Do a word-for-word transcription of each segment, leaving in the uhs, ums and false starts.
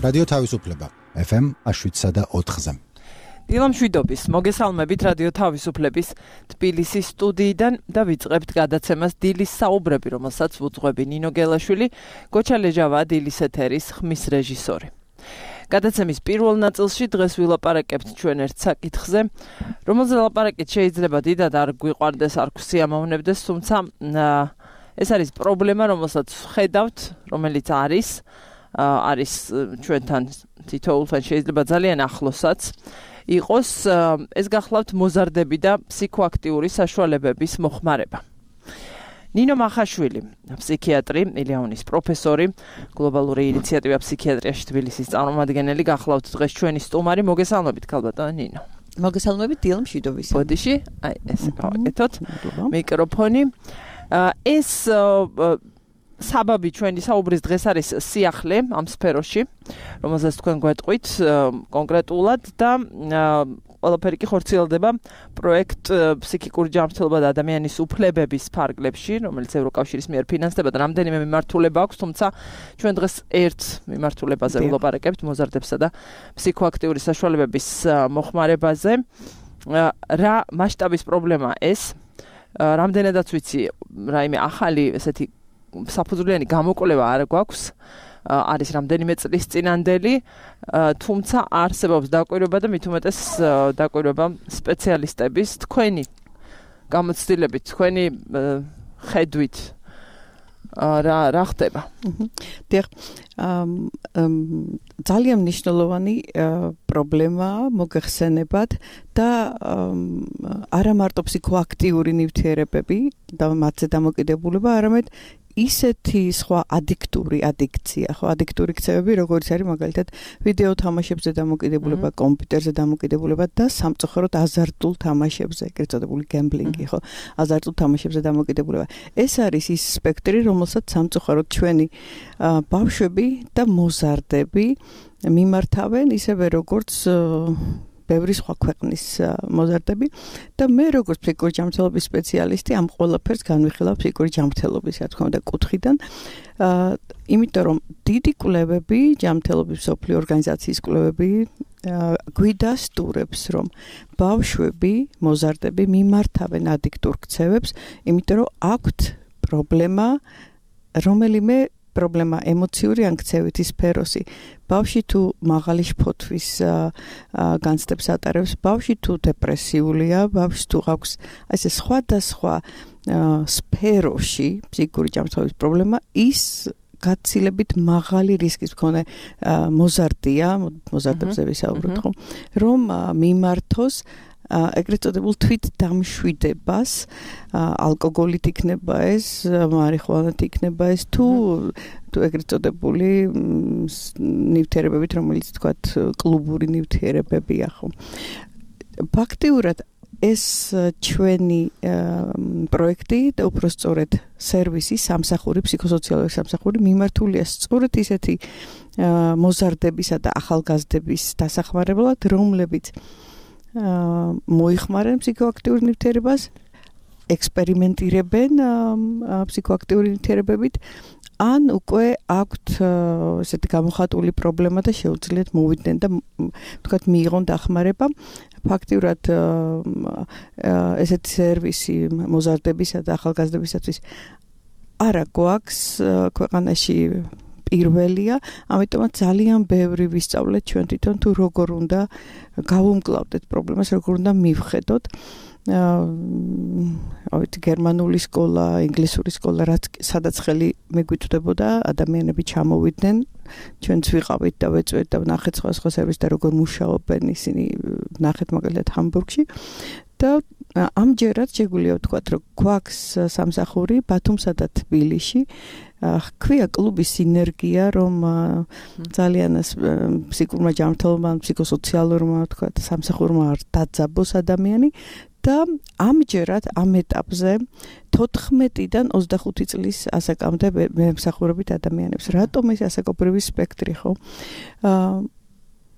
რადიო თავისუფლება ეფ ემ შვიდსა და ოთხზე. დილამშვიდობის მოგესალმებით რადიო თავისუფლების თბილისის სტუდიიდან და ვიწყებთ გადაცემას დილის საუბრები, რომელსაც ვუძღვები ნინო გელაშვილი, გოჩა ლეჟავა დილის ეთერის ხმის რეჟისორი. გადაცემის პირველ ნაწილში დღეს ვილაპარაკებთ ჩვენ ერთ საკითხზე, რომელზე ლაპარაკით შეიძლება დიდად არ გვიყვარდეს, არ გვსიამოვნებდეს, თუმცა ეს არის პრობლემა, რომელსაც ხედავთ, რომელიც არის არის ჩვენთან თითოეულთან შეიძლება ძალიან ახლოსაც იყოს, ეს გახლავთ მოზარდები და ფსიქოაქტიური საშუალებების მოხმარება. ნინო მახაშვილი, ფსიქიატრი, ილეონის პროფესორი, გლობალური ინიციატივა ფსიქიატრიაში თბილისის წარმომადგენელი, გახლავთ დღეს ჩვენი სტუმარი. მოგესალმებით, ქალბატონო ნინო. მოგესალმებით, დილამშვიდობის. ბოდიში, აი ესე გავაკეთოთ მიკროფონი. ეს საბაბი ჩვენი საუბრის დღეს არის სიახლე ამ სფეროში, რომელზეც თქვენ გვეტყვით კონკრეტულად და ყველაფერი კი ხორციელდება პროექტ ფსიქიკური ჯანმრთელობა და ადამიანის უფლებების ფარგლებში, რომელიც ევროკავშირის მიერ ფინანსდება და რამდენიმე მიმართულება აქვს, თუმცა ჩვენ დღეს ერთ მიმართულებაზე ვილაპარაკებთ, მოზარდებსა და ფსიქოაქტიური საშუალებების მოხმარებაზე. რა მასშტაბის პრობლემაა ეს? რამდენადაც ვიცი, რაიმე ახალი ესეთი საფუძვლიანი გამოკვლევა არ გვაქვს, არის რამდენიმე წლის წინანდელი, თუმცა არსებობს დაკვირვება და მით უმეტეს დაკვირვება სპეციალისტების, თქვენი გამოცდილებით, თქვენი ხედვით რა რა ხდება? დიახ, ძალიან მნიშვნელოვანი პრობლემაა მოგეხსენებათ და არა მარტო ფსიქოაქტიური ნივთიერებები და მათზე დამოკიდებულება, არამედ ისეთი სხვა ადიქტური ადიქცია, ხო, ადიქტური ქცევები, როგორც არის მაგალითად ვიდეო თამაშებზე დამოკიდებულება, კომპიუტერზე დამოკიდებულება და სამწუხაროდ აზარტულ თამაშებზე, ეგრეთ წოდებული გემბლინგი, ხო, აზარტულ თამაშებზე დამოკიდებულება. ეს არის ის სპექტრი, რომელსაც სამწუხაროდ ჩვენი ბავშვები და მოზარდები მიმართავენ, ისევე როგორც ბევრი სხვა ქვეყნის მოზარდები და მე როგორც ფსიქიკური ჯანმრთელობის სპეციალისტი ამ ყველაფერს განვიხილავ ფსიქიკური ჯანმრთელობის, რა თქმა უნდა, კუთხიდან. იმიტომ რომ დიდი კვლევები, ჯანმრთელობის მსოფლიო ორგანიზაციის კვლევები გვიდასტურებს, რომ ბავშვები, მოზარდები მიმართავენ ადიქტურ ქცევებს, იმიტომ რომ აქვთ პრობლემა, რომელიმე პრობლემა ემოციური ან ქცევითი სფეროსი. ბავშვი თუ მაღალი შფოთვის განცდებს ატარებს, ბავშვი თუ დეპრესიულია, ბავშვი თუ აქვს ესე სხვადასხვა სფეროში ფსიქიკური ჯანმრთელობის პრობლემა, ის გაცილებით მაღალი რისკის მქონე მოზარდია, მოზარდებზე ვისაუბროთ, ხო, რომ მიმართოს ეგრეთ წოდებულ თვით დამშვიდებას, ალკოგოლით იქნება ეს, მარიხუანით იქნება ეს, თუ თუ ეგრეთ წოდებული ნივთიერებებით, რომელიც თქვათ კლუბური ნივთიერებებია, ხო. ფაქტიურად ეს ჩვენი პროექტი და უпростоრედ სერვისი, სამსახური, ფსიქოსოციალური სამსახური მიმართულია სწორედ ისეთი მოზარდებისა და ახალგაზრდების დასახმარებლად, რომლებიც მოიხმარენ ფსიქოაქტიურ ნივთიერებას, ექსპერიმენტირებენ ფსიქოაქტიური ნივთიერებებით, ან უკვე აქვთ ესეთი გამოხატული პრობლემა და შეუძლიათ მოვიდნენ და თქვათ მიიღონ დახმარება. ფაქტიურად ესეთი სერვისი მოზარდებისა და ახალგაზრდებისათვის არა გვაქვს ქვეყანაში პირველია, ამიტომაც ძალიან ბევრი ვისწავლეთ ჩვენ თვითონ თუ როგორ უნდა გავუმკლავდეთ პრობლემას, როგორ უნდა მივხედოთ. ავით გერმანული სკოლა, ინგლისური სკოლა, რაც სადაც ხელი მეგვიწვდებოდა, ადამიანები ჩამოვიდნენ, ჩვენც ვიყავით და ვეწვეთ და ვნახეთ სხვა სხვა სერვისს და როგორ მუშაობენ ისინი, ვნახეთ მაგალითად ჰამბურგში და ამჯერად შეგვიძლია ვთქვათ, რომ გვაქვს სამსახური ბათუმსა და თბილისში, ჰქვია კლუბის სინერგია, რომ ძალიან ფსიქურმა ჯანმრთელობამ, ფსიქოსოციალურმა ვთქვათ, სამსახურმა დაძაბოს ადამიანი და ამჯერად ამ ეტაპზე თოთხმეტიდან ოცდახუთი წლის ასაკამდე მემსახურებით ადამიანებს. რატომ ეს ასაკობრივი სპექტრი, ხო?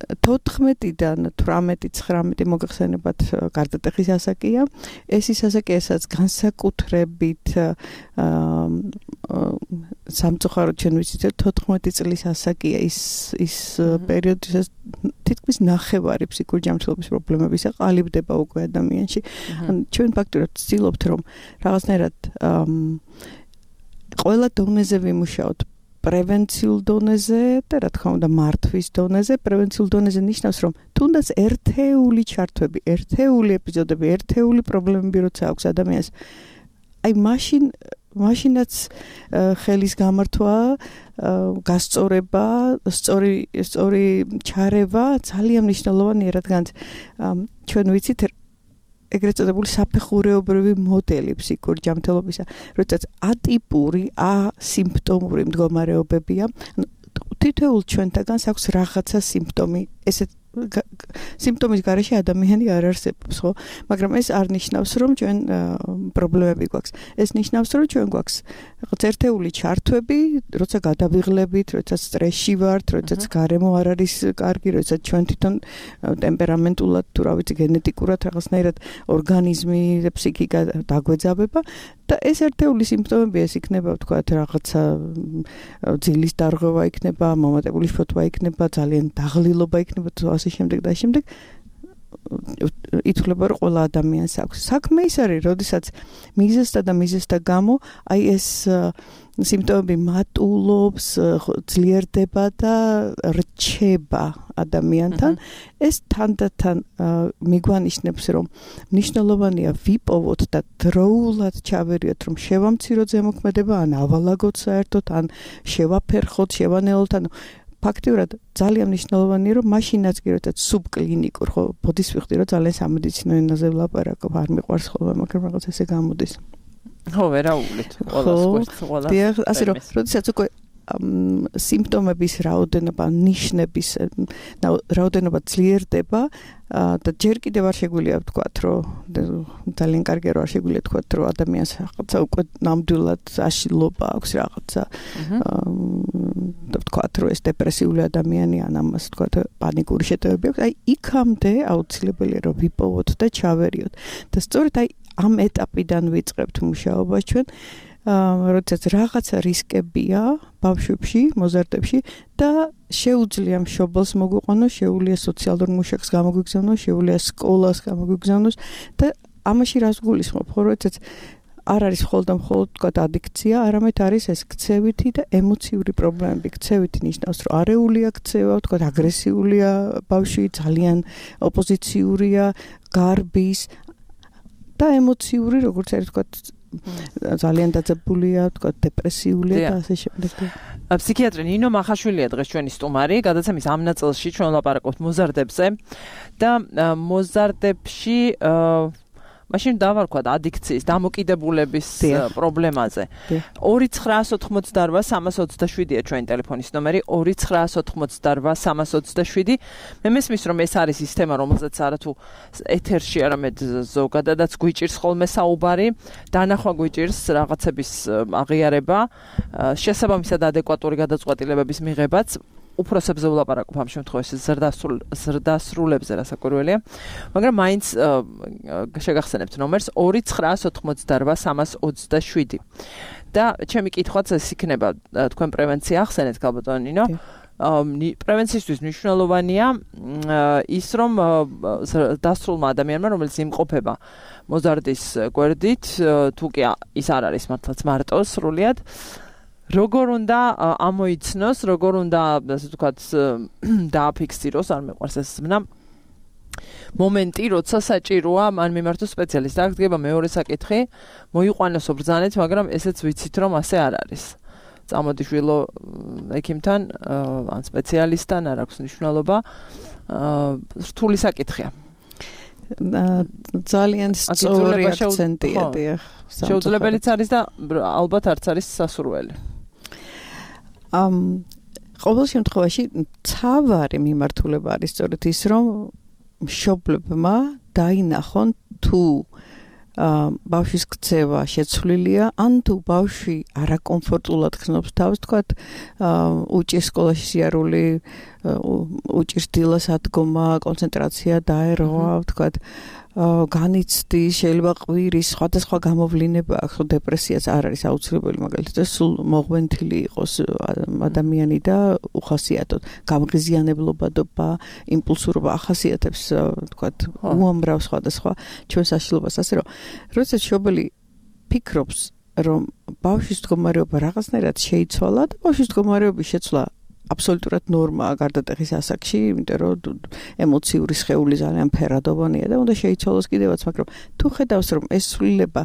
თოთხმეტიდან თვრამეტი ცხრამეტი მოგეხსენებათ გარდატეხის ასაკია. ეს ის ასაკია, სადაც განსაკუთრებით სამწუხაროდ ჩვენ ვიცით, თოთხმეტი წლის ასაკია ის ის პერიოდი, სადაც თითქმის ნახევარი ფსიქიკური ჯანმრთელობის პრობლემებისა ყალიბდება უკვე ადამიანში. ჩვენ ფაქტურად ვცდილობთ, რომ რაღაცნაირად ყველა დონეზე ვიმუშაოთ. პრევენციულ დონეზე და რა თქმა უნდა მართვის დონეზე. პრევენციულ დონეზე ნიშნავს, რომ თუნდაც ერთეული ჩართვები, ერთეული ეპიზოდები, ერთეული პრობლემები როცა აქვს ადამიანს, აი მაშინ მაშინაც ხელის გამართვა, გასწორება, სწორი სწორი ჩარევა ძალიან მნიშვნელოვანია, რადგან ჩვენ ვიცით ეგრეთ წოდებული საფეხურეობრივი მოდელი ფსიქიკური ჯანმრთელობისა, როდესაც ატიპური, ასიმპტომური მდგომარეობებია, თითოეულ ჩვენთაგანს აქვს რაღაცა სიმპტომი, ესეთ სიმპტომის გარეშე ადამიანი არ არსებობს, ხო? მაგრამ ეს არ ნიშნავს, რომ ჩვენ პრობლემები გვაქვს. ეს ნიშნავს, რომ ჩვენ გვაქვს რაღაც ერთეული ჩართვები, როცა გადავიღლებით, როცა სტრესში ვართ, როცა გარემო არ არის კარგი, როცა ჩვენ თვითონ ტემპერამენტულად თუ რა ვიცი გენეტიკურად რაღაცნაირად ორგანიზმი და ფსიქიკა დაგვეძაბება და ეს ერთეული სიმპტომები ეს იქნება ვთქვათ რაღაცა ძილის დარღვევა იქნება, მომატებული შფოთვა იქნება, ძალიან დაღლილობა იქნება თუ ასე შემდეგ და შემდეგ ითვლება რომ ყველა ადამიანს აქვს. საქმე ის არის, როდესაც მიზეზთა და მიზეზთა გამო აი ეს სიმპტომები მატულობს, ძლიერდება და რჩება ადამიანთან. ეს თანდათან მიგვანიშნებს, რომ მნიშვნელოვანია ვიპოვოთ და დროულად ჩავერიოთ, რომ შევამციროთ ზემოქმედება, ან ავალაგოთ საერთოდ, ან შევაფერხოთ, შევანელოთ, ანუ ფაქტიურად ძალიან მნიშვნელოვანია, რომ მაშინაც კი როდესაც სუბკლინიკურ, ხო, ბოდის ვიხდი, რომ ძალიან სამედიცინო ენაზე ვლაპარაკობ, არ მიყვარს ხოლმე, მაგრამ რაღაც ესე გამოდის. ხო, ვერაულით, ყველას გვერდს, ყველას. დიახ, ასე რომ, როდესაც უკვე სიმპტომების რაოდენობა, ნიშნების რაოდენობა ძლიერდება და ჯერ კიდევ არ შეგვიძლია ვთქვათ, რომ ძალიან კარგია რომ არ შეგვიძლია ვთქვათ, რომ ადამიანს რაღაცა უკვე ნამდვილად აშლილობა აქვს რაღაცა და ვთქვათ, რომ ეს დეპრესიული ადამიანი ან ამას ვთქვათ პანიკური შეტევები აქვს. აი იქამდე აუცილებელია რომ ვიპოვოთ და ჩავერიოთ. და სწორედ აი ამ ეტაპიდან ვიწყებთ მუშაობას ჩვენ. როდესაც რაღაცა რისკებია ბავშვებში, მოზარდებში და შეუძლია მშობელს მოგვიყვანოს, შეუძლია სოციალურ მუშაკს გამოგვიგზავნოს, შეუძლია სკოლას გამოგვიგზავნოს და ამაში რას გულისხმობ, ხო, როდესაც არ არის მხოლოდ და მხოლოდ თქვათ ადიქცია, არამედ არის ეს ქცევითი და ემოციური პრობლემები. ქცევითი ნიშნავს, რომ არეულია ქცევა, თქვათ აგრესიულია ბავშვი, ძალიან ოპოზიციურია, გარბის და ემოციური, როგორც არის თქვათ ძალიან დაძაბულია, თქვათ დეპრესიულია და ასე შემდეგ. ფსიქიატრი ნინო მახაშვილია დღეს ჩვენი სტუმარი, გადაცემის ამ ნაწილში ჩვენ ვლაპარაკობთ მოზარდებზე და მოზარდებში მაშინ დავარქვათ ადიქციის, დამოკიდებულების პრობლემაზე. ორი ცხრაას ოთხმოცდაორვა სამას ოცდაშვიდია ჩვენი ტელეფონის ნომერი, ორი ცხრაას ოთხმოცდაორვა სამას ოცდაშვიდი. მე მესმის, რომ ეს არის ის თემა, რომელზეც არათუ ეთერში, არამედ ზოგადადაც გვიჭირს ხოლმე საუბარი, დანახვა გვიჭირს რაღაცების აღიარება, შესაბამისად ადეკვატური გადაწყვეტილებების მიღებაც. უფროსებზე ვლაპარაკობ ამ შემთხვევაში ზრდასრულებზე რასაკვირველია, მაგრამ მაინც შეგახსენებთ ნომერს ორი ცხრაას ოთხმოცდაორვა სამას ოცდაშვიდი. და ჩემი კითხვაც ეს იქნება, თქვენ პრევენცია ახსენეთ, ქალბატონო ნინო. პრევენციისთვის მნიშვნელოვანია ის, რომ დასრულმა ადამიანმა, რომელიც იმყოფება მოზარდის გვერდით, თუ კი ის არ არის მართლაც მარტო სრულიად, როგორ უნდა ამოიცნოს, როგორ უნდა, ასე ვთქვათ, დააფიქსიროს, არ მეყვარს ეს ზმნა, მომენტი, როცა საჭიროა მან მიმართოს სპეციალისტს. აქ დგება მეორე საკითხი, მოიყვანოსო ბრძანეთ, მაგრამ ესეც ვიცით, რომ ასე არ არის. წამოდი შვილო ექიმთან, ან სპეციალისტთან, არ აქვს მნიშვნელობა, რთული საკითხია. ძალიან სწორი აქცენტია, დიახ. შეუძლებელიც არის და ალბათ არც არის სასურველი. ამ ყოველ შემთხვევაში ცავარი მიმართულება არის სწორედ ის, რომ მშობლებმა დაინახონ თუ ბავშვის ქცევა შეცვლილია, ან თუ ბავშვი არაკომფორტულად ხსნობს თავს, თქვათ, უჭირს სკოლაში სიარული, უჭირს დილას ადგომა, კონცენტრაცია დაერღვა, თქვათ, განიცდის, შეიძლება ყვირის სხვადასხვა გამოვლენა აქვს, დეპრესიაც არ არის აუცილებელი, მაგალითად, სულ მოღვენთილი იყოს ადამიანი და უხასიათოდ გამღიზიანებლობა, იმპულსურობა ახასიათებს, თქვათ, უამრავ სხვადასხვა ჩვენ საშიშრობას, ასე რომ, როდესაც მშობელი ფიქრობს, რომ ბავშვის მდგომარეობა რაღაცნაირად შეიცვალა და ბავშვის მდგომარეობის შეცვლა აბსოლუტურად ნორმაა გარდატეხის ასაკში, იმიტომ რომ ემოციური სხეული ძალიან ფერადოვანია და უნდა შეიცვალოს კიდევაც, მაგრამ თუ ხედავს რომ ეს ცვლილება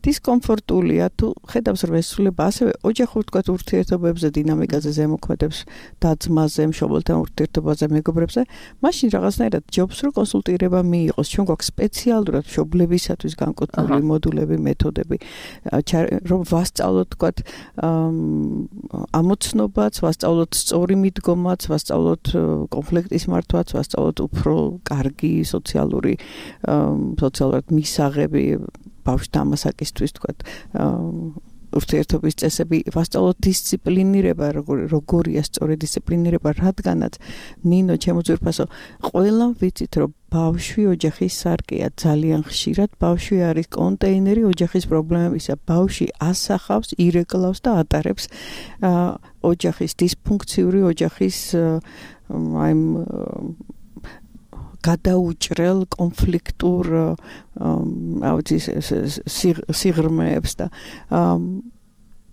დისკომფორტულია, თუ ხედავს რომ ეს ცვლილება ასევე ოჯახურ თქვათ ურთიერთობებზე, დინამიკაზე ზემოქმედებს და-ძმაზე, მშობელთან ურთიერთობაზე, მეგობრებზე, მაშინ რაღაცნაირად ჯობს რომ კონსულტირება მიიღოს. ჩვენ გვაქვს სპეციალურად მშობლებისათვის განკუთვნილი მოდულები, მეთოდები, რომ ვასწავლოთ თქვათ ამოცნობაც, ვასწავლოთ სწორი მიდგომაც, ვასწავლოთ კონფლიქტის მართვაც, ვასწავლოთ უფრო კარგი სოციალური სოციალურად მისაღები ბავშვთან მასაკისთვის, თქვათ, ურთიერთობის წესები, ვასწავლოთ დისციპლინირება, როგორია სწორი დისციპლინირება, რადგანაც ნინო, ჩემო ძვირფასო, ყველამ ვიცით, რომ ბავშვი ოჯახის სარკეა, ძალიან ხშირად ბავშვი არის კონტეინერი ოჯახის პრობლემებისა. ბავშვი ასახავს, ირეკლავს და ატარებს ოჯახის დისფუნქციური ოჯახის აი გადაუჭრელ კონფლიქტურ სიღრმეებს და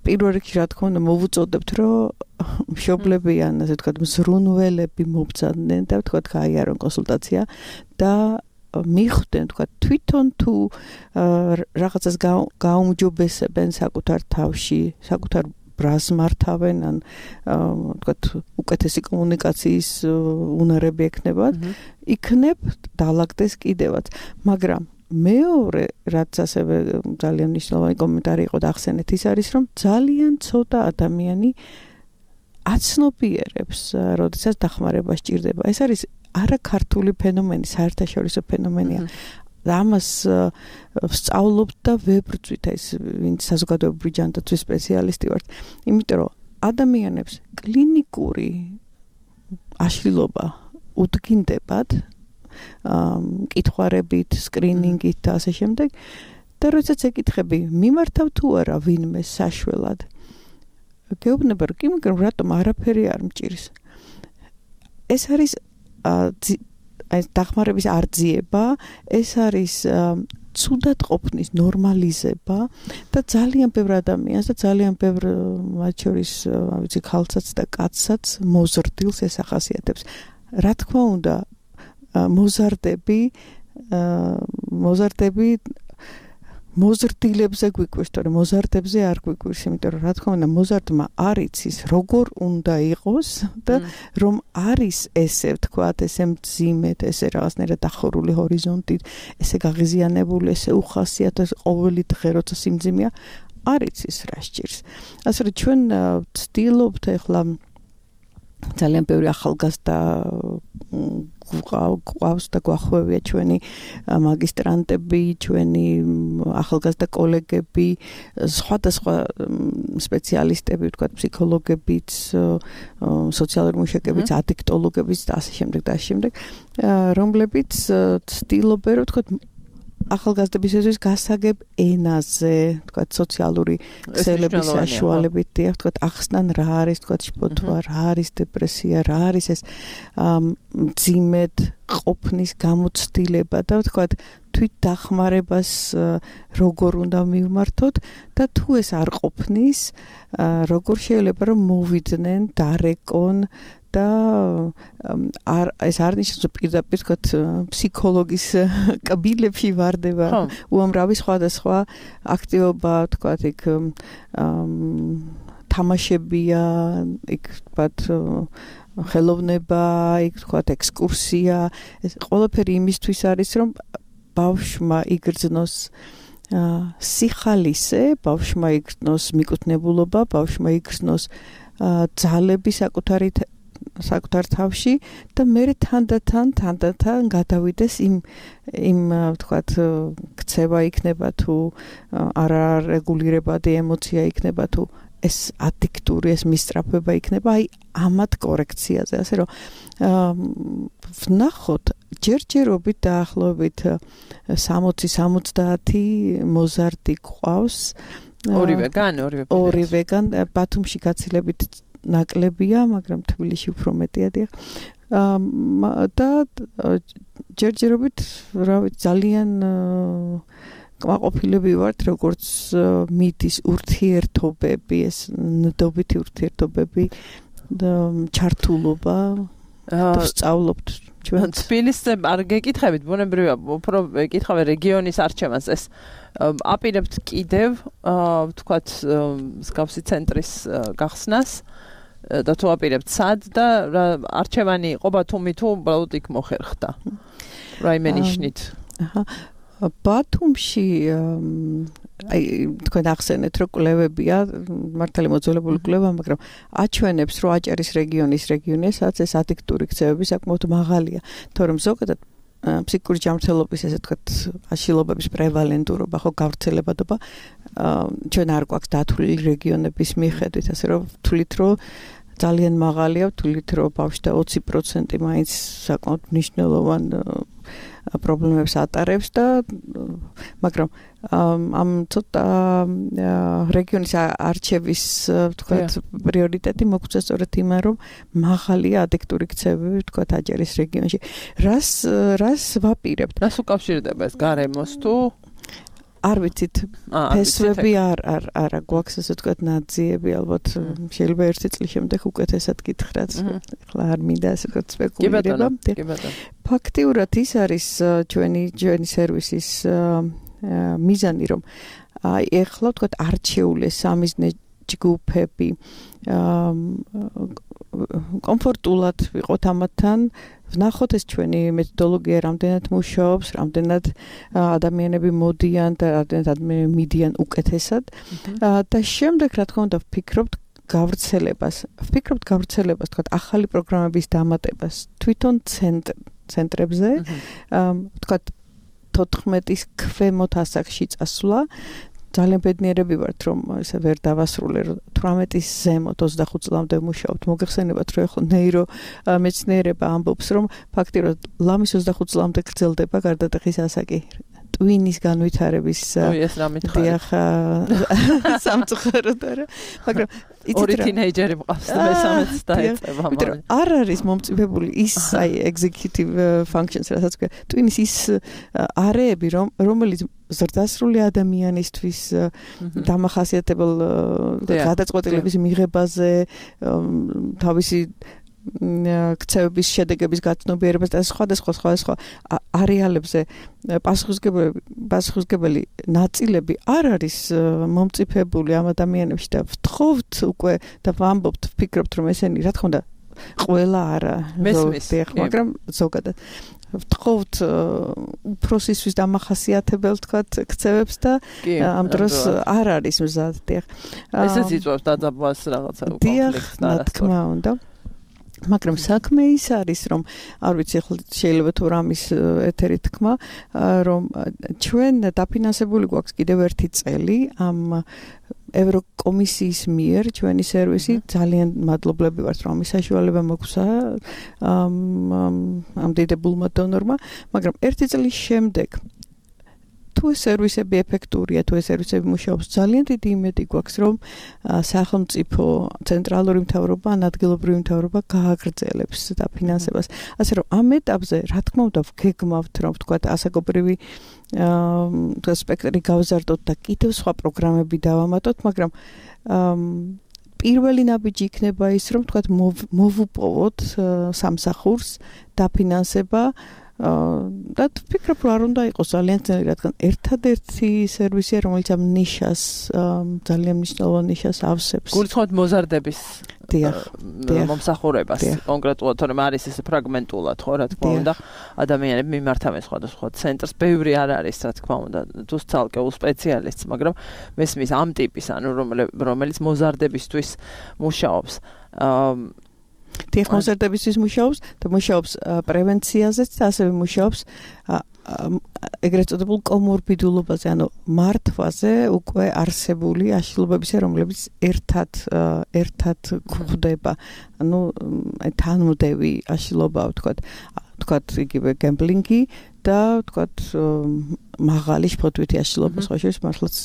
პირველ რიგში რა თქმა უნდა მოვუწოდებთ რომ მშობლები ან ასე ვთქვათ მზრუნველები მობრძანდნენ და ვთქვათ გაიარონ კონსულტაცია და მიხვდნენ ვთქვათ თვითონ თუ რაღაცას გაუმჯობესებენ საკუთარ თავში, საკუთარ ბრას მართავენ ან ვთქვათ უკეთესი კომუნიკაციის უნარები ექნებათ, იქნებ დაალაგდეს კიდევაც, მაგრამ მეორე რაც ასევე ძალიან მნიშვნელოვანი კომენტარი იყო და ახსენეთ ის არის რომ ძალიან ცოტა ადამიანი აცნობიერებს როდესაც დახმარება სჭირდება. ეს არის არაქართული ფენომენი, საერთაშორისო ფენომენია. და ამას ვსწავლობთ და ვებრძვით ეს ვინც საზოგადოებრივი ჯანდაცვის სპეციალისტი ვართ, იმიტომ რომ ადამიანებს კლინიკური აშლილობა უდგინდებათ მკითხვარებით, სკრინინგით და ასე შემდეგ და როდესაც ეკითხები მიმართავ თუ არა ვინმე საშველად გეუბნება რომ კი, მაგრამ რატომ არაფერი არ მჭირს. ეს არის ეს დახმარების არძიება, ეს არის ცუდად ყოფნის ნორმალიზება და ძალიან ბევრ ადამიანს და ძალიან ბევრ მათ შორის, ვიცი, ქალსაც და კაცსაც მოზრდილს ეს ახასიათებს. რა თქმა უნდა, მოზარდები, მოზარდები მოზრდილებზე გვიკვირს, თორემ მოზარდებზე არ გვიკვირს, იმიტომ რომ რა თქმა უნდა მოზარდმა არ იცის როგორ უნდა იყოს და რომ არის ესე ვთქვათ, ესე მძიმედ, ესე რაღაცნაირად დახურული ჰორიზონტით, ესე გაღიზიანებული, ესე უხასიათო ყოველი დღე როცა სიმძიმეა, არ იცის რა სჭირს. ასე რომ ჩვენ ვცდილობთ ახლა ძალიან ბევრი ახალგაზრდა გვყავს და გვახვევია ჩვენი მაგისტრანტები, ჩვენი ახალგაზრდა კოლეგები, სხვადასხვა სპეციალისტები, ვთქვათ, ფსიქოლოგებიც, სოციალური მუშაკებიც, ადიქტოლოგებიც და ასე შემდეგ და ასე შემდეგ, რომლებიც ცდილობენ, რომ ვთქვათ, ახალგაზრდებისათვის გასაგებ ენაზე, ვთქვათ, სოციალური ქსელების საშუალებით, დიახ, ვთქვათ, ახსნან რა არის, ვთქვათ, შფოთვა, რა არის დეპრესია, რა არის ეს მძიმედ ყოფნის გამოცდილება და ვთქვათ, თვით დახმარებას როგორ უნდა მივმართოთ და თუ ეს არ ყოფნის, როგორ შეიძლება რომ მოვიდნენ, დარეკონ და არ ეს არ ნიშნავს პირდაპირ თქვათ ფსიქოლოგის კაბინეტში ვარდება უამრავი სხვადასხვა აქტივობა თქვათ იქ თამაშებია იქ თქვათ ხელოვნება იქ თქვათ ექსკურსია ეს ყველაფერი იმისთვის არის რომ ბავშვმა იგრძნოს სიხალისე ბავშვმა იგრძნოს მიკუთვნებულობა ბავშვმა იგრძნოს ძალები საკუთარი საკუთარ თავში და მე თანდათან თანდათან გადავიდეს იმ იმ ვთქვათ ქცევა იქნება თუ არა რეგულირებადი ემოცია იქნება თუ ეს ადიქტური ეს მისწრაფება იქნება აი ამათ კორექციაზე ასე რომ ვნახოთ ჯერჯერობით დაახლოებით სამოცი სამოცდაათი მოზარდი ყავს ორივეგან ორივე ორივეგან ბათუმში გაცილებით ნაკლებია მაგრამ თბილისში უფრო მეტია დიახ და ჯერჯერობით რა ვიცი ძალიან კმაყოფილები ვართ როგორც მიდის ურთიერთობები ეს ნდობითი ურთიერთობები ჩართულობა და სწავლობთ ჩვენ თბილისზე არ გეკითხებით ბუნებრივია უფრო ეკითხავე რეგიონის არჩევანს ეს აპირებთ კიდევ ვთქვათ მსგავსი ცენტრის გახსნას და თუ აპირებთ სად და არჩევანი იყო ბათუმი თუ უბრალოდ იქ მოხერხდა რაიმე ნიშნით აჰა ბათუმში აი თქვენ ახსენეთ რომ კვლევებია მართალი მოძველებული კვლევა მაგრამ აჩვენებს რომ აჭარის რეგიონის რეგიონესაც ეს ადიქტური ქცევები საკმაოდ მაღალია თორემ ზოგადად ფსიქიკური ჯანმრთელობის ესე ვთქვათ აშლილობების პრევალენტურობა ხო გავრცელებადობა ჩვენ არ გვაქვს დათვლილი რეგიონების მიხედვით ასე რომ ვთვლით რომ ძალიან მაღალია ვთვლით რომ ბავშვთა ოცი პროცენტი მაინც საკმაოდ მნიშვნელოვან პრობლემებს ატარებს და მაგრამ ამ ცოტა რეგიონის არჩევის ვთქვათ პრიორიტეტი მოგვწია სწორედ იმან რომ მაღალია ადიქტური ქცევები ვთქვათ აჭარის რეგიონში რას რას ვაპირებთ რას უკავშირდება ეს გარემოს თუ არ ვიცით ფესვები არ არ არა გვაქვს ასე ვთქვათ ნაძიები ალბათ შეიძლება ერთი წლის შემდეგ უკეთესად გითხრათ ახლა არ მინდა ასე ვთქვათ სპეკულირება ფაქტიურად ის არის ჩვენი ჩვენი სერვისის მიზანი რომ აი ახლა ვთქვათ არჩეული სამიზნე ჯგუფები კომფორტულად ვიყოთ ამათთან ვნახოთ ეს ჩვენი მეთოდოლოგია რამდენად მუშაობს, რამდენად ადამიანები მოდიან და რამდენად ადამიანები მიდიან უკეთესად და შემდეგ რა თქმა უნდა ვფიქრობთ გავრცელებას. ვფიქრობთ გავრცელებას, თქვა ახალი პროგრამების დამატებას თვითონ ცენტრებზე, თქვა თოთხმეტის ქვემოთ ასაკში წასვლა ძალიან ბედნიერები ვართ რომ ესე ვერ დავასრულე თვრამეტის ზემოთ ოცდახუთ წლამდე ვმუშაობთ მოგეხსენებათ რომ ახლა ნეირო მეცნიერება ამბობს რომ ფაქტიურად ლამის ოცდახუთ წლამდე გრძელდება გარდატეხის ასაკი ტვინის განვითარების ეს რა მითხარი დიახ სამწუხაროდ არა მაგრამ ორი თინეიჯერი მყავს და მესამეც დაეწევა მაგრამ არ არის მომწიფებული ის აი executive functions რასაც ქვია ტვინის ის არეები რომ რომელიც ზრდასრული ადამიანისთვის დამახასიათებელ გადაწყვეტილების მიღებაზე თავისი ქცევების შედეგების გაცნობიერებას და სხვადასხვა სხვადასხვა არეალებზე პასუხისმგებელი პასუხისმგებელი ნაწილები არ არის მომწიფებული ამ ადამიანებში და ვთხოვთ უკვე და ვამბობთ ვფიქრობთ რომ ესენი რა თქმა უნდა ყველა არა მაგრამ ზოგადად ვთხოვთ უფროსისთვის დამახასიათებელ თქვათ ქცევებს და ამ დროს არ არის მზად დიახ ესეც იწვევს დაძაბვას რაღაცა კონფლიქტს რა თქმა უნდა მაგრამ საქმე ის არის რომ არ ვიცი ახლა შეიძლება თუ რამის ეთერი თქმა რომ ჩვენ დაფინანსებული გვაქვს კიდევ ერთი წელი ამ ევროკომისიის მიერ ჩვენი სერვისი ძალიან მადლობლები ვართ რომ ამის საშუალება მოგვცა ამ ამ დიდებულმა დონორმა მაგრამ ერთი წლის შემდეგ თუ ეს სერვისები ეფექტურია თუ ეს სერვისები მუშაობს ძალიან დიდი იმედი გვაქვს რომ სახელმწიფო ცენტრალური მთავრობა ან ადგილობრივი მთავრობა გააგრძელებს დაფინანსებას ასე რომ ამ ეტაპზე რა თქმა უნდა ვგეგმავთ რომ ვთქვათ ასაკობრივი აა სპექტრი გავზარდოთ და კიდევ სხვა პროგრამები დავამატოთ მაგრამ პირველი ნაბიჯი იქნება ის რომ ვთქვათ მოვუპოვოთ სამსახურს დაფინანსება და ვფიქრობ რომ არ უნდა იყოს ძალიან ძნელი რადგან ერთადერთი სერვისია რომელიც ამ ნიშას ძალიან მნიშვნელოვან ნიშას ავსებს გულწრფელად მოზარდების დიახ მომსახურებას კონკრეტულად თორემ არის ეს ფრაგმენტულად ხო რა თქმა უნდა ადამიანები მიმართავენ სხვადასხვა ცენტრს ბევრი არ არის რა თქმა უნდა თუ ცალკეულ სპეციალისტს მაგრამ მესმის ამ ტიპის ანუ რომელიც მოზარდებისთვის მუშაობს დიახ, კონცერტებისთვის მუშაობს და მუშაობს პრევენციაზეც და ასევე მუშაობს ეგრეთ წოდებულ კომორბიდულობაზე, ანუ მართვაზე უკვე არსებული აშლილობებისა, რომლებიც ერთად ერთად გვხვდება. ანუ თანმდევი აშლილობაა, ვთქვათ, ვთქვათ, იგივე გემბლინგი და ვთქვათ, მაღალი შფოთვითი აშლილობა, სხვა შორის მართლაც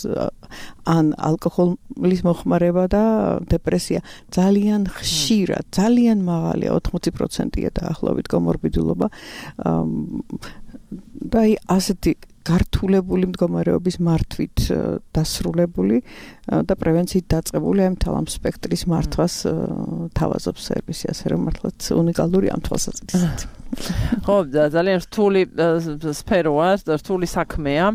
ან ალკოჰოლის მოხმარება და დეპრესია ძალიან ხშირად, ძალიან მაღალია, ოთხმოცი პროცენტია დაახლოებით კომორბიდულობა. და ასეთი გართულებული მდგომარეობის მართვით დასრულებული და პრევენციით დაწყებული ამ თავამ სპექტრის მართვას თავაზობს სერვისი, ასე რომ მართლაც უნიკალური ამ თვალსაზრისით. ხო, ძალიან რთული სფეროა, რთული საქმეა.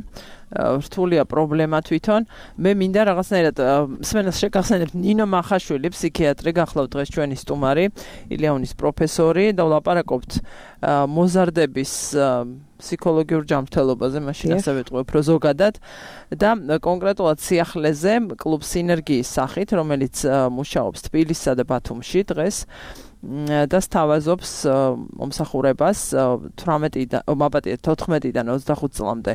რთულია პრობლემა თვითონ. მე მინდა რაღაცნაირად მსმენელს შეგახსენებთ ნინო მახაშვილი, ფსიქიატრი, გახლავთ დღეს ჩვენი სტუმარი, ილეონის პროფესორი და ვლაპარაკობთ მოზარდების ფსიქოლოგიურ ჯანმრთელობაზე, მაშინ ასე ვეტყვი უფრო ზოგადად და კონკრეტულად სიახლეზე კლუბ სინერგიის სახით, რომელიც მუშაობს თბილისსა და ბათუმში დღეს და სთავაზობს მომსახურებას თოთხმეტიდან ოცდახუთ წლამდე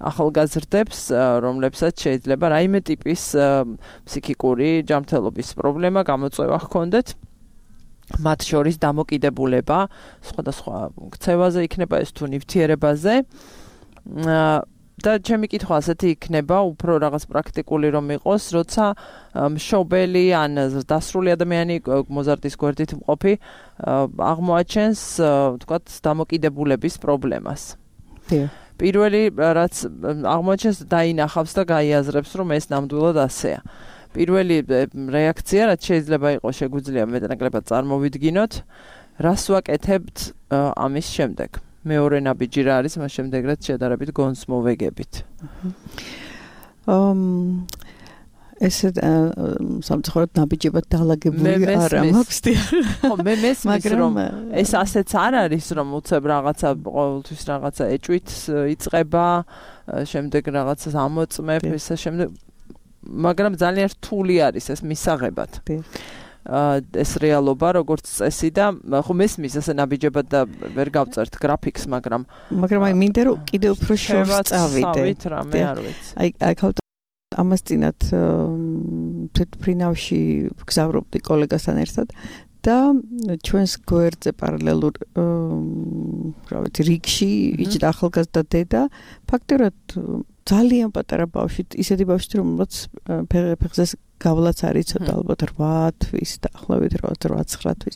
ახალგაზრდებს, რომლებსაც შეიძლება რაიმე ტიპის ფსიქიკური ჯანმრთელობის პრობლემა გამოწვევა ჰქონდეთ. მათ შორის დამოკიდებულება სხვადასხვა ქცევაზე იქნება ეს თუ ნივთიერებაზე. და ჩემი კითხვა ასეთი იქნება, უფრო რაღაც პრაქტიკული რომ იყოს, როცა მშობელი ან დასრული ადამიანი მოზარდის გვერდით მყოფი აღმოაჩენს, ვთქვათ, დამოკიდებულების პრობლემას. პირველი რაც აღმოაჩენს, დაინახავს და გაიაზრებს, რომ ეს ნამდვილად ასეა. პირველი რეაქცია, რაც შეიძლება იყოს, შეგვიძლია მეტნაკლებად წარმოვიდგინოთ, რას ვაკეთებთ ამის შემდეგ. მეორე ნაბიჯი რა არის, მას შემდეგ რაც შედარებით გონს მოვეგებით. ამ ესე სამწუხაროდ ნაბიჯებად დალაგებული არა მაქვს. ხო, მე მესმის რომ ეს ასეც არ არის, რომ უცებ რაღაცა ყოველთვის რაღაცა ეჭვით იწყება, შემდეგ რაღაცას ამოწმებ, ესე შემდეგ, მაგრამ ძალიან რთული არის ეს მისაღებად. ეს რეალობა, როგორც წესი და ხო მესმის ასე ნაბიჯებად და ვერ გავწერთ გრაფიკს, მაგრამ მაგრამ აი მინდა რომ კიდევ უფრო შორს წავიდე. რამე არ ვიცი. აი აი ხავთ ამას წინათ თვითფრინავში გზავრობდი კოლეგასთან ერთად და ჩვენს გვერდზე პარალელურ რა ვიცი რიგში იჯდა ახალგაზრდა დედა, ფაქტობრივად ძალიან პატარა ბავშვი, ისეთი ბავშვი, რომელსაც ფეხზე გავლაც არ იცოდა, ალბათ რვა თვის, დაახლოებით რვა ცხრა თვის.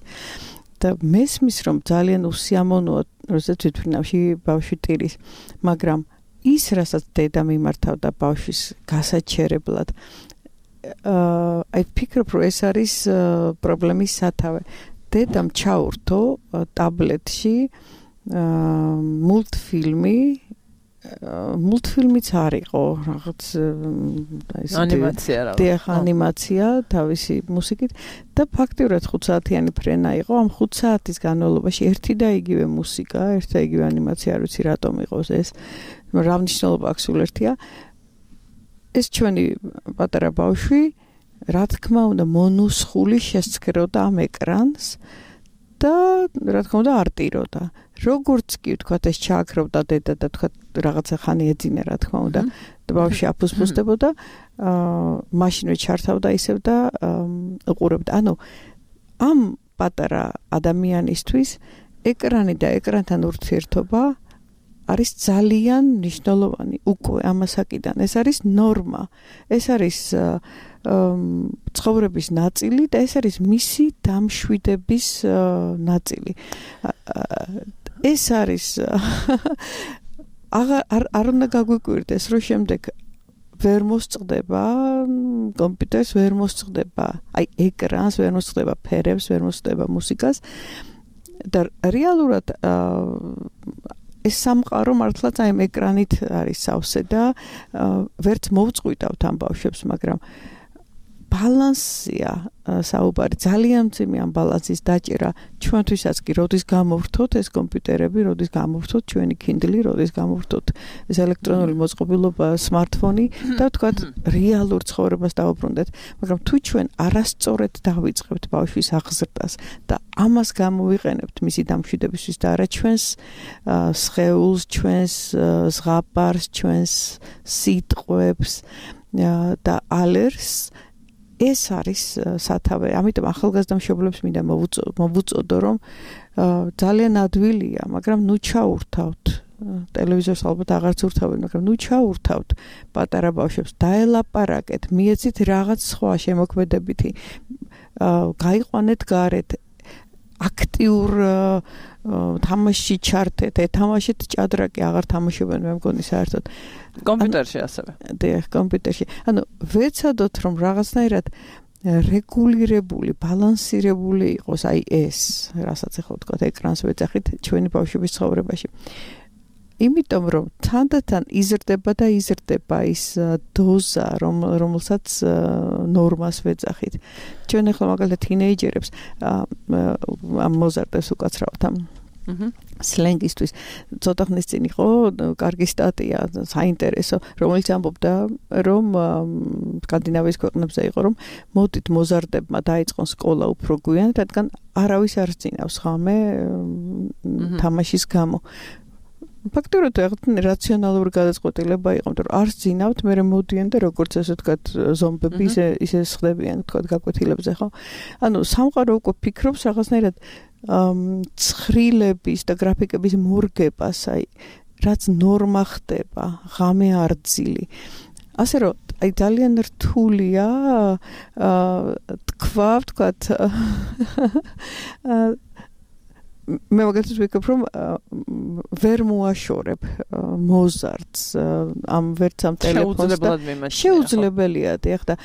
და მესმის რომ ძალიან უსიამოვნოა, როდესაც თვითფრინავში ბავშვი ტირის, მაგრამ ის, რასაც დედა მიმართავდა ბავშვის გასაჩერებლად, აი ფიქრობ, რომ ეს არის პრობლემის სათავე. დედამ ჩაურთო ტაბლეტში მულტფილმი, მულტფილმიც არ იყო, რაღაც ეს ანიმაცია რა. დიახ, ანიმაცია თავისი მუსიკით და ფაქტობრივად ხუთ საათიანი ფრენა იყო. ამ ხუთ საათის განმავლობაში ერთი და იგივე მუსიკა, ერთი და იგივე ანიმაცია, არ ვიცი რატომ იყოს ეს, რა მნიშვნელობა აქვს სულ ერთია. ეს ჩვენი პატარა ბავშვი, რა თქმა უნდა, მონუსხული შესცქეროდა ამ ეკრანს და რა თქმა უნდა არ ტიროდა. როგორც კი ვთქვათ ეს ჩააქრობდა დედა და ვთქვათ რაღაცა ხანი ეძინა რა თქმა უნდა და ბავშვი აფუსფუსდებოდა, აა მაშინვე ჩართავდა ისევ და უყურებდა. ანუ ამ პატარა ადამიანისთვის ეკრანი და ეკრანთან ურთიერთობა არის ძალიან მნიშვნელოვანი უკვე ამასაკიდან. ეს არის ნორმა. ეს არის ცხოვრების ნაწილი და ეს არის მისი დამშვიდების ნაწილი. ეს არის არ არ უნდა გაგვიკვირდეს, რომ შემდეგ ვერ მოსწყდება კომპიუტერს, ვერ მოსწყდება აი ეკრანს, ვერ მოსწყდება ფერებს, ვერ მოსწყდება მუსიკას და რეალურად ეს სამყარო მართლაც აი ეკრანით არის სავსე და ვერც მოვწყვიტავთ ამ ბავშვებს, მაგრამ ბალანსია საუბარი ძალიან მძიმე ამ ბალანსის დაჭერა ჩვენთვისაც კი როდის გამოვრთოთ ეს კომპიუტერები, როდის გამოვრთოთ ჩვენი Kindle, როდის გამოვრთოთ ეს ელექტრონული მოწყობილობა, smartphone და თქვათ რეალურ ცხოვრებას დავუბრუნდეთ, მაგრამ თუ ჩვენ არასწორად დავიწყებთ ბავშვის აღზრდას და ამას გამოვიყენებთ მისი დამშვიდებისთვის და არა ჩვენს სხეულს, ჩვენს ზღაპარს, ჩვენს სიტყვებს და ალერს ეს არის სათავე. ამიტომ ახალგაზრდა მშობლებს მინდა მოვუწოდო, რომ ძალიან ადვილია, მაგრამ ნუ ჩაურთავთ ტელევიზორს ალბათ აღარც ურთავენ, მაგრამ ნუ ჩაურთავთ პატარა ბავშვებს, დაელაპარაკეთ, მიეცით რაღაც სხვა შემოქმედებითი, გაიყვანეთ გარეთ, აქტიურ თამაშში ჩართეთ, ეთამაშეთ ჭადრაკი, აღარ თამაშობენ, მე მგონი საერთოდ. კომპიუტერში ასევე. დიახ, კომპიუტერში. ანუ ვეცადოთ, რომ რაღაცნაირად რეგულირებული, ბალანსირებული იყოს აი ეს, რასაც ახლა ვთქვათ, ეკრანს ვეძახით ჩვენი ბავშვების ცხოვრებაში. იმიტომ რომ თანდათან იზრდება და იზრდება ის დოზა, რომ რომელსაც ნორმას ვეძახით. ჩვენ ახლა მაგალითად თინეიჯერებს ამ მოზარდებს უკაცრავთ ამ სლენგისთვის. ცოტა ხნის წინ იყო კარგი სტატია, საინტერესო, რომელიც ამბობდა, რომ სკანდინავიის ქვეყნებზე იყო, რომ მოდით მოზარდებმა დაიწყონ სკოლა უფრო გვიან, რადგან არავის არ ძინავს ხამე თამაშის გამო. ფაქტობრივად ეგრეთ რაციონალური გადაწყვეტილება იყო, რომ არ ძინავთ, მე მოდიან და როგორც ასე ვთქვათ, ზომბები ისე ისე ხდებიან, ვთქვათ, გაკვეთილებზე, ხო? ანუ სამყარო უკვე ფიქრობს რაღაცნაირად ცხრილების და გრაფიკების მორგებას, აი, რაც ნორმა ხდება, ღამე არძილი. ასე რომ, აი ძალიან რთულია თქვა, ვთქვათ, მე მაგალითად ვიკებ, რომ ვერ მოაშორებ მოზარდს ამ ვერც ამ ტელეფონს და შეუძლებელია დიახ და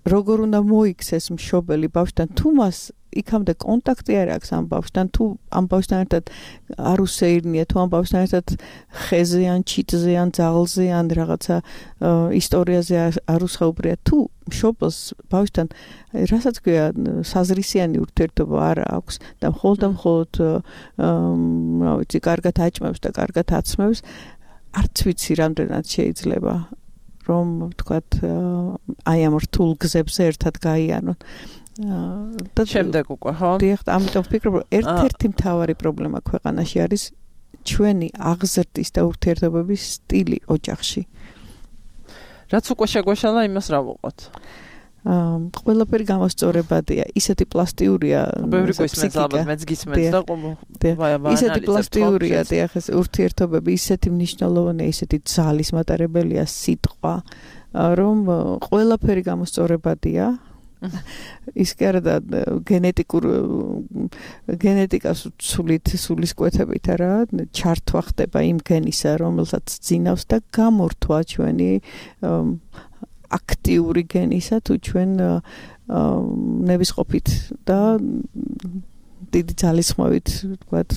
როგორ უნდა მოიქცეს მშობელი ბავშვთან თუ მას იქამდე კონტაქტი არ აქვს ამ ბავშვთან თუ ამ ბავშვთან ერთად არ უსეირნია თუ ამ ბავშვთან ერთად ხეზე ან ჩიტზე ან ძაღლზე ან რაღაცა ისტორიაზე არ უსაუბრია თუ მშობელს ბავშვთან რასაც ქვია საზრისიანი ურთიერთობა არ აქვს და მხოლოდ და მხოლოდ რა ვიცი კარგად აჭმევს და კარგად აცმევს არც ვიცი რამდენად შეიძლება რომ ვთქვათ აი ამ რთულ გზებზე ერთად გაიანონ და შემდეგ უკვე ხო? დიახ, ამიტომ ვფიქრობ, რომ ერთ-ერთი მთავარი პრობლემა ქვეყანაში არის ჩვენი აღზრდის და ურთიერთობების სტილი ოჯახში. რაც უკვე შეგვეშალა, იმას რა ვუყოთ? აა, ყველაფერი გამოსწორებადია, ისეთი პლასტიურია. ბევრი გვისმენს, ალბათ მეც გისმენს და ყო. ისეთი პლასტიურია, დიახ, ეს ურთიერთობები, ისეთი მნიშვნელოვანია, ისეთი ძალის მატარებელია სიტყვა, რომ ყველაფერი გამოსწორებადია. ის კი არა და გენეტიკურ გენეტიკას სულით სულისკვეთებით არა ჩართვა ხდება იმ გენისა რომელსაც ძინავს და გამორთვა ჩვენი აქტიური გენისა თუ ჩვენ ნებისყოფით და დიდი ძალისხმევით ვთქვათ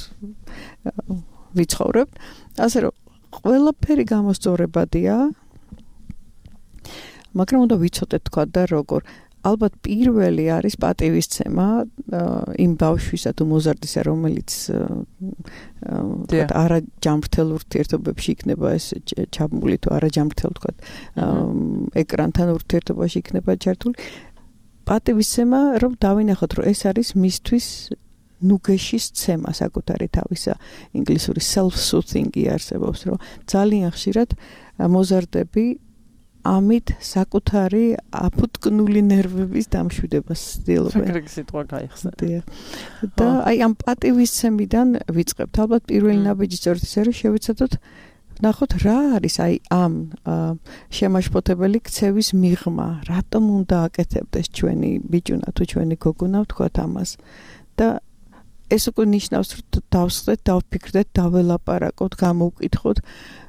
ვიცხოვრებთ ასე რომ ყველაფერი გამოსწორებადია მაგრამ უნდა ვიცოდეთ თქვა და როგორ ალბათ პირველი არის პატივისცემა იმ ბავშვისა თუ მოზარდისა რომელიც არა ჯანმრთელ ურთიერთობებში იქნება ეს ჩაბმული თუ არა ჯანმრთელ თქვა ეკრანთან ურთიერთობაში იქნება ჩართული პატივისცემა რომ დავინახოთ რომ ეს არის მისთვის ნუგეშის ცემა საკუთარი თავისა ინგლისური self-soothing-ი არსებობს რომ ძალიან ხშირად მოზარდები ამით საკუთარი აფუტკნული ნერვების დამშვიდებას ცდილობენ. საკრეგი სიტყვა გაიხსნა. და აი ამ პატივისცემიდან ვიწყებთ. ალბათ პირველი ნაბიჯი სწორედ ისე რომ შევეცადოთ ნახოთ რა არის აი ამ შემაშფოთებელი ქცევის მიღმა. რატომ უნდა აკეთებდეს ჩვენი ბიჭუნა თუ ჩვენი გოგონა ვთქვათ ამას. და ეს უკვე ნიშნავს რომ დავსხდეთ, დავფიქრდეთ, დაველაპარაკოთ, გამოვკითხოთ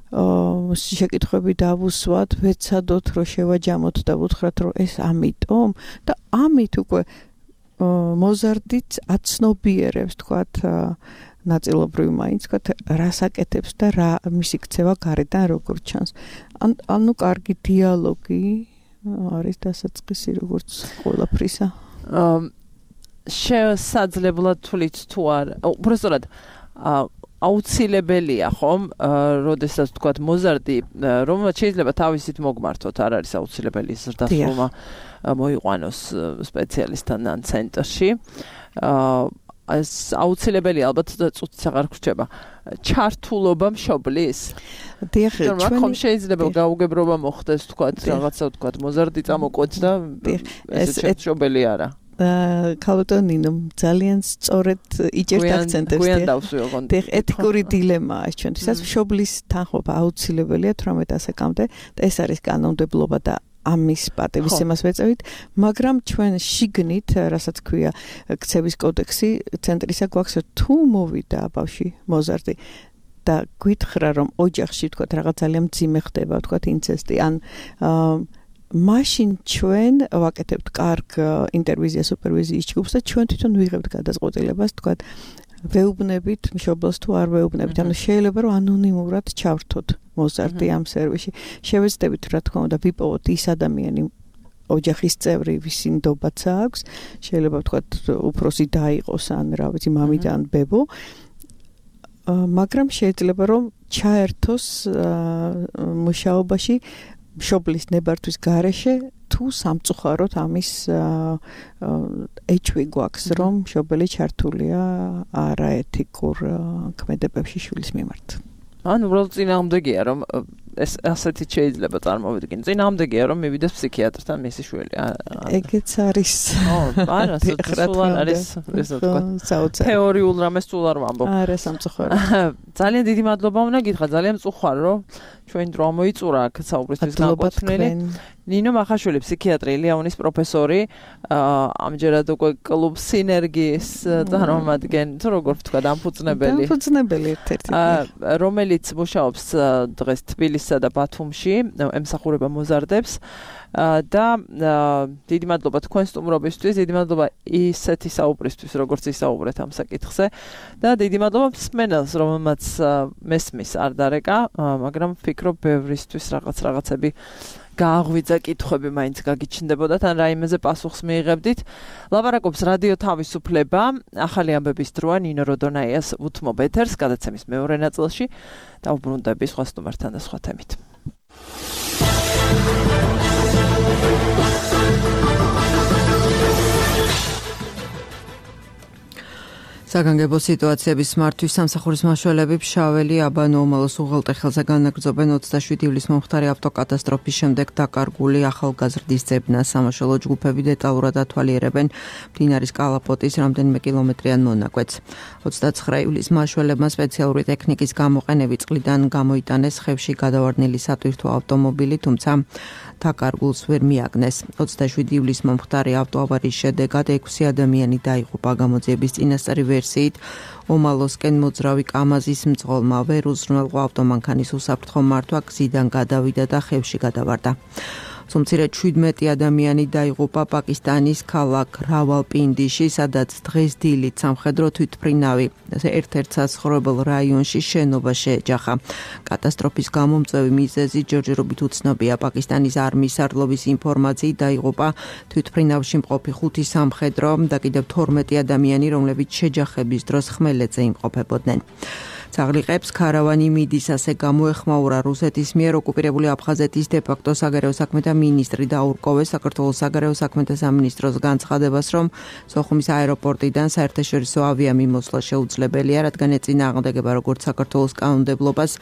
შეკითხვები დავუსვათ, ვეცადოთ რომ შევაჯამოთ და ვუთხრათ რომ ეს ამიტომ და ამით უკვე მოზარდიც აცნობიერებს თქვათ ნაწილობრივ მაინც თქვათ რას აკეთებს და რა მისი ქცევა გარედან როგორ ჩანს. ანუ კარგი დიალოგი არის დასაწყისი როგორც ყველაფრისა. შესაძლებლად თulit თუ არა, უბრალოდ აუცილებელია ხომ, როდესაც თქვათ მოზარდი, რომელმაც შეიძლება თავისით მოგმართოთ, არ არის აუცილებელი ზრდასრულმა მოიყვანოს სპეციალისტთან ან ცენტრში. ეს აუცილებელი ალბათ წუთიც აღარ გრჩება. ჩართულობა მშობლის. დიახ, ჩვენ ხომ შეიძლება გაუგებრობა მოხდეს თქვათ, რაღაცა თქვათ, მოზარდი წამოყვეთ და ეს მშობელი არა. ქალბატონინო ძალიან სწორედ იჭერთ აქცენტებს. გვიან დავსვი ოღონდ. დიახ, ეთიკური დილემაა ეს ჩვენთვისაც. მშობლის თანხმობა აუცილებელია თვრამეტ ასაკამდე და ეს არის კანონმდებლობა და ამის პატივისცემას ვეწევით, მაგრამ ჩვენ შიგნით, რასაც ქვია ქცევის კოდექსი, ცენტრისა გვაქვს თუ მოვიდა ბავში მოზარდი და გითხრა რომ ოჯახში თქვათ რაღაც ძალიან მძიმე ხდება, თქვათ ინცესტი ან მაშინ ჩვენ ვაკეთებთ კარგ ინტერვიზია სუპერვიზიის ჯგუფს და ჩვენ თვითონ ვიღებთ გადაწყვეტილებას, თქვათ ვეუბნებით მშობელს თუ არ ვეუბნებით, ანუ შეიძლება რომ ანონიმურად ჩავრთოთ მოზარდი ამ სერვისში. შევეცდებით რა თქმა უნდა ვიპოვოთ ის ადამიანი ოჯახის წევრი, ვისი ნდობაც აქვს, შეიძლება ვთქვათ უფროსი და იყოს ან რა ვიცი მამიდა ან ბებო, მაგრამ შეიძლება რომ ჩაერთოს მუშაობაში მშობლის ნებართვის გარეშე თუ სამწუხაროდ ამის ეჭვი გვაქვს რომ მშობელი ჩართულია არაეთიკურ ქმედებებში შვილის მიმართ. ან უბრალოდ წინააღმდეგია რომ ეს ასეთი შეიძლება წარმოვიდგინო. წინააღმდეგია რომ მივიდეს ფსიქიატრთან მისი შვილი. ეგეც არის. ო, არა, სულ არის ესე ვთქვათ. თეორიულ რამეს სულ არ ვამბობ. არა, სამწუხაროდ. ძალიან დიდი მადლობა უნდა გითხრა, ძალიან მწუხარ რომ ჩვენ დრო მოიწურა აქ საუბრისთვის განკუთვნილი. ნინო მახაშვილი ფსიქიატრი, ლიაუნის პროფესორი, ამჯერად უკვე კლუბ სინერგიის წარმომადგენელი, თუ როგორ ვთქვა, დამფუძნებელი. დამფუძნებელი ერთ-ერთი. რომელიც მუშაობს დღეს თბილისსა და ბათუმში, ემსახურება მოზარდებს და დიდი მადლობა თქვენ სტუმრობისთვის, დიდი მადლობა ისეთი საუბრისთვის, როგორც ისაუბრეთ ამ საკითხზე და დიდი მადლობა მსმენელს, რომელმაც მესმის არ დარეკა, მაგრამ ვფიქრობ ბევრისთვის რაღაც რაღაცები გააღვიძა კითხვები მაინც გაგიჩნდებოდათ ან რაიმეზე პასუხს მიიღებდით. ლაპარაკობს რადიო თავისუფლება, ახალი ამბების დროა ნინო როდონაიას უთმობ ეთერს გადაცემის მეორე ნაწილში და უბრუნდები სხვა სტუმართან და სხვა თემით. საგანგებო სიტუაციების მართვის სამსახურის მაშველები ფშაველი აბანო ომალოს უღელტეხილზე განაგრძობენ ოცდაშვიდი ივლისს მომხდარი ავტოკატასტროფის შემდეგ დაკარგული ახალგაზრდის ძებნას. სამაშველო ჯგუფები დეტალურად ათვალიერებენ მდინარის კალაპოტის რამდენიმე კილომეტრიან მონაკვეთს. ოცდაცხრა ივლისს მაშველებმა სპეციალური ტექნიკის გამოყენებით წყლიდან გამოიტანეს ხევში გადავარდნილი სატვირთო ავტომობილი, თუმცა დაკარგულს ვერ მიაგნეს. ოცდაშვიდი ივლისს მომხდარი ავტოავარიის შედეგად ექვსი ადამიანი დაიღუპა. გამოძიების წინასწარი ვერსიით ომალოსკენ მოძრავი კამაზის მძღოლმა ვერ უზრუნველყო ავტომანქანის უსაფრთხო მართვა, გზიდან გადავიდა და ხევში გადავარდა. სომცირედ შვიდმეტი ადამიანი დაიღუპა პაკისტანის ქალაქ რავალპინდიში, სადაც დღეს დილით სამხედრო თვითმფრინავი ერთ-ერთ საცხოვრებელ რაიონში შენობა შეეჯახა. კატასტროფის გამომწვევი მიზეზი ჯერჯერობით უცნობია. პაკისტანის არმიის სარდლობის ინფორმაციით დაიღუპა თვითმფრინავში მყოფი ხუთი სამხედრო და კიდევ თორმეტი ადამიანი, რომლებიც შეჯახების დროს ხმელეთზე იმყოფებოდნენ. წაღლიყებს ქარავანი მიდის, ასე გამოეხმაურა რუსეთის მიერ ოკუპირებული აფხაზეთის დე-ფაქტო საგარეო საქმეთა მინისტრი დაურკოვეს საქართველოს საგარეო საქმეთა სამინისტროს განცხადებას, რომ სოხუმის აეროპორტიდან საერთაშორისო ავიამიმოსვლა შეუძლებელია, რადგან ეწინააღმდეგება როგორც საქართველოს კანონმდებლობას,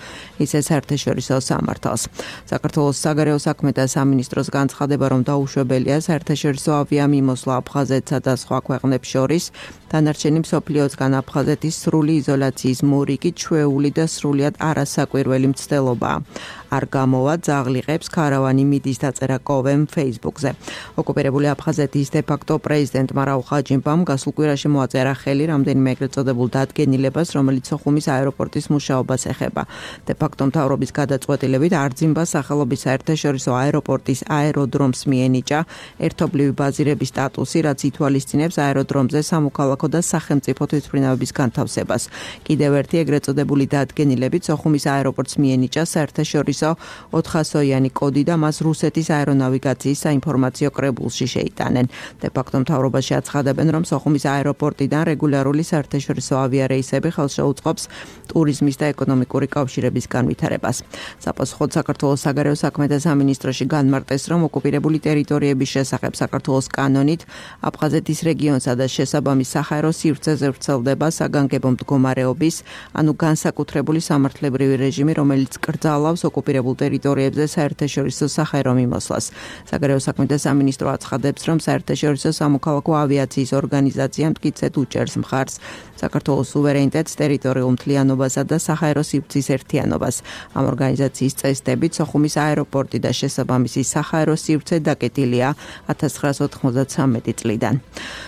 ისე საერთაშორისო სამართალს. საქართველოს საგარეო საქმეთა სამინისტროს განცხადება, რომ დაუშვებელია საერთაშორისო ავიამიმოსვლა აფხაზეთსა და სხვა ქვეყნებს შორის, დანარჩენი მსოფლიოსგან აფხაზეთის სრული იზოლაციის მორიგი ჩვეული და სრულიად არასაკვირველი მცდელობაა. არ გამოვა ძაღლიყებს ქარავანი მიდის დაწერა კოვემ Facebook-ზე. ოკუპირებული აფხაზეთის დე-ფაქტო პრეზიდენტმა რაულ ხაჯიმბამ გასულ კვირაში მოაწერა ხელი რამდენიმე ეგრეთ წოდებულ დადგენილებას, რომელიც სოხუმის აეროპორტის მუშაობას ეხება. დე-ფაქტო მთავრობის გადაწყვეტილებით არძიმბას სახელობის საერთაშორისო აეროპორტის აეროდრომს მიენიჭა ერთობლივი ბაზირების სტატუსი, რაც ითვალისწინებს აეროდრომზე სამოქალაქო და სახელმწიფო თვითმფრინავების განთავსებას. კიდევ ერთი ეგრეთ წოდებული დადგენილებით სოხუმის აეროპორტს მიენიჭა საერთაშორისო საერთაშორისო ოთხასოიანი კოდი და მას რუსეთის აერონავიგაციის საინფორმაციო კრებულში შეიტანენ. De facto მთავრობაში აცხადებენ, რომ სოხუმის აეროპორტიდან რეგულარული საერთაშორისო ავიარეისები ხელს შეუწყობს ტურიზმის და ეკონომიკური კავშირების განვითარებას. Საპასუხოდ საქართველოს საგარეო საქმეთა სამინისტროში განმარტეს, რომ ოკუპირებული ტერიტორიების შესახებ საქართველოს კანონით აფხაზეთის რეგიონსა და შესაბამის საჰაერო სივრცეზე ვრცელდება საგანგებო მდგომარეობის, ანუ განსაკუთრებული სამართლებრივი რეჟიმი, რომელიც კრძალავს ოკუპირებულ ტერიტორიებზე საერთაშორისო საჰაერო მიმოსვლას. საგარეო საქმეთა სამინისტრო აცხადებს, რომ საერთაშორისო სამოქალაქო ავიაციის ორგანიზაცია მტკიცედ უჭერს მხარს საქართველოს სუვერენიტეტს, ტერიტორიულ მთლიანობასა და საჰაერო სივრცის ერთიანობას. Ამ ორგანიზაციის წესდებით სოხუმის აეროპორტი და შესაბამისი საჰაერო სივრცე დაკეტილია ათას ცხრაას ოთხმოცდათვრამეტი წლიდან.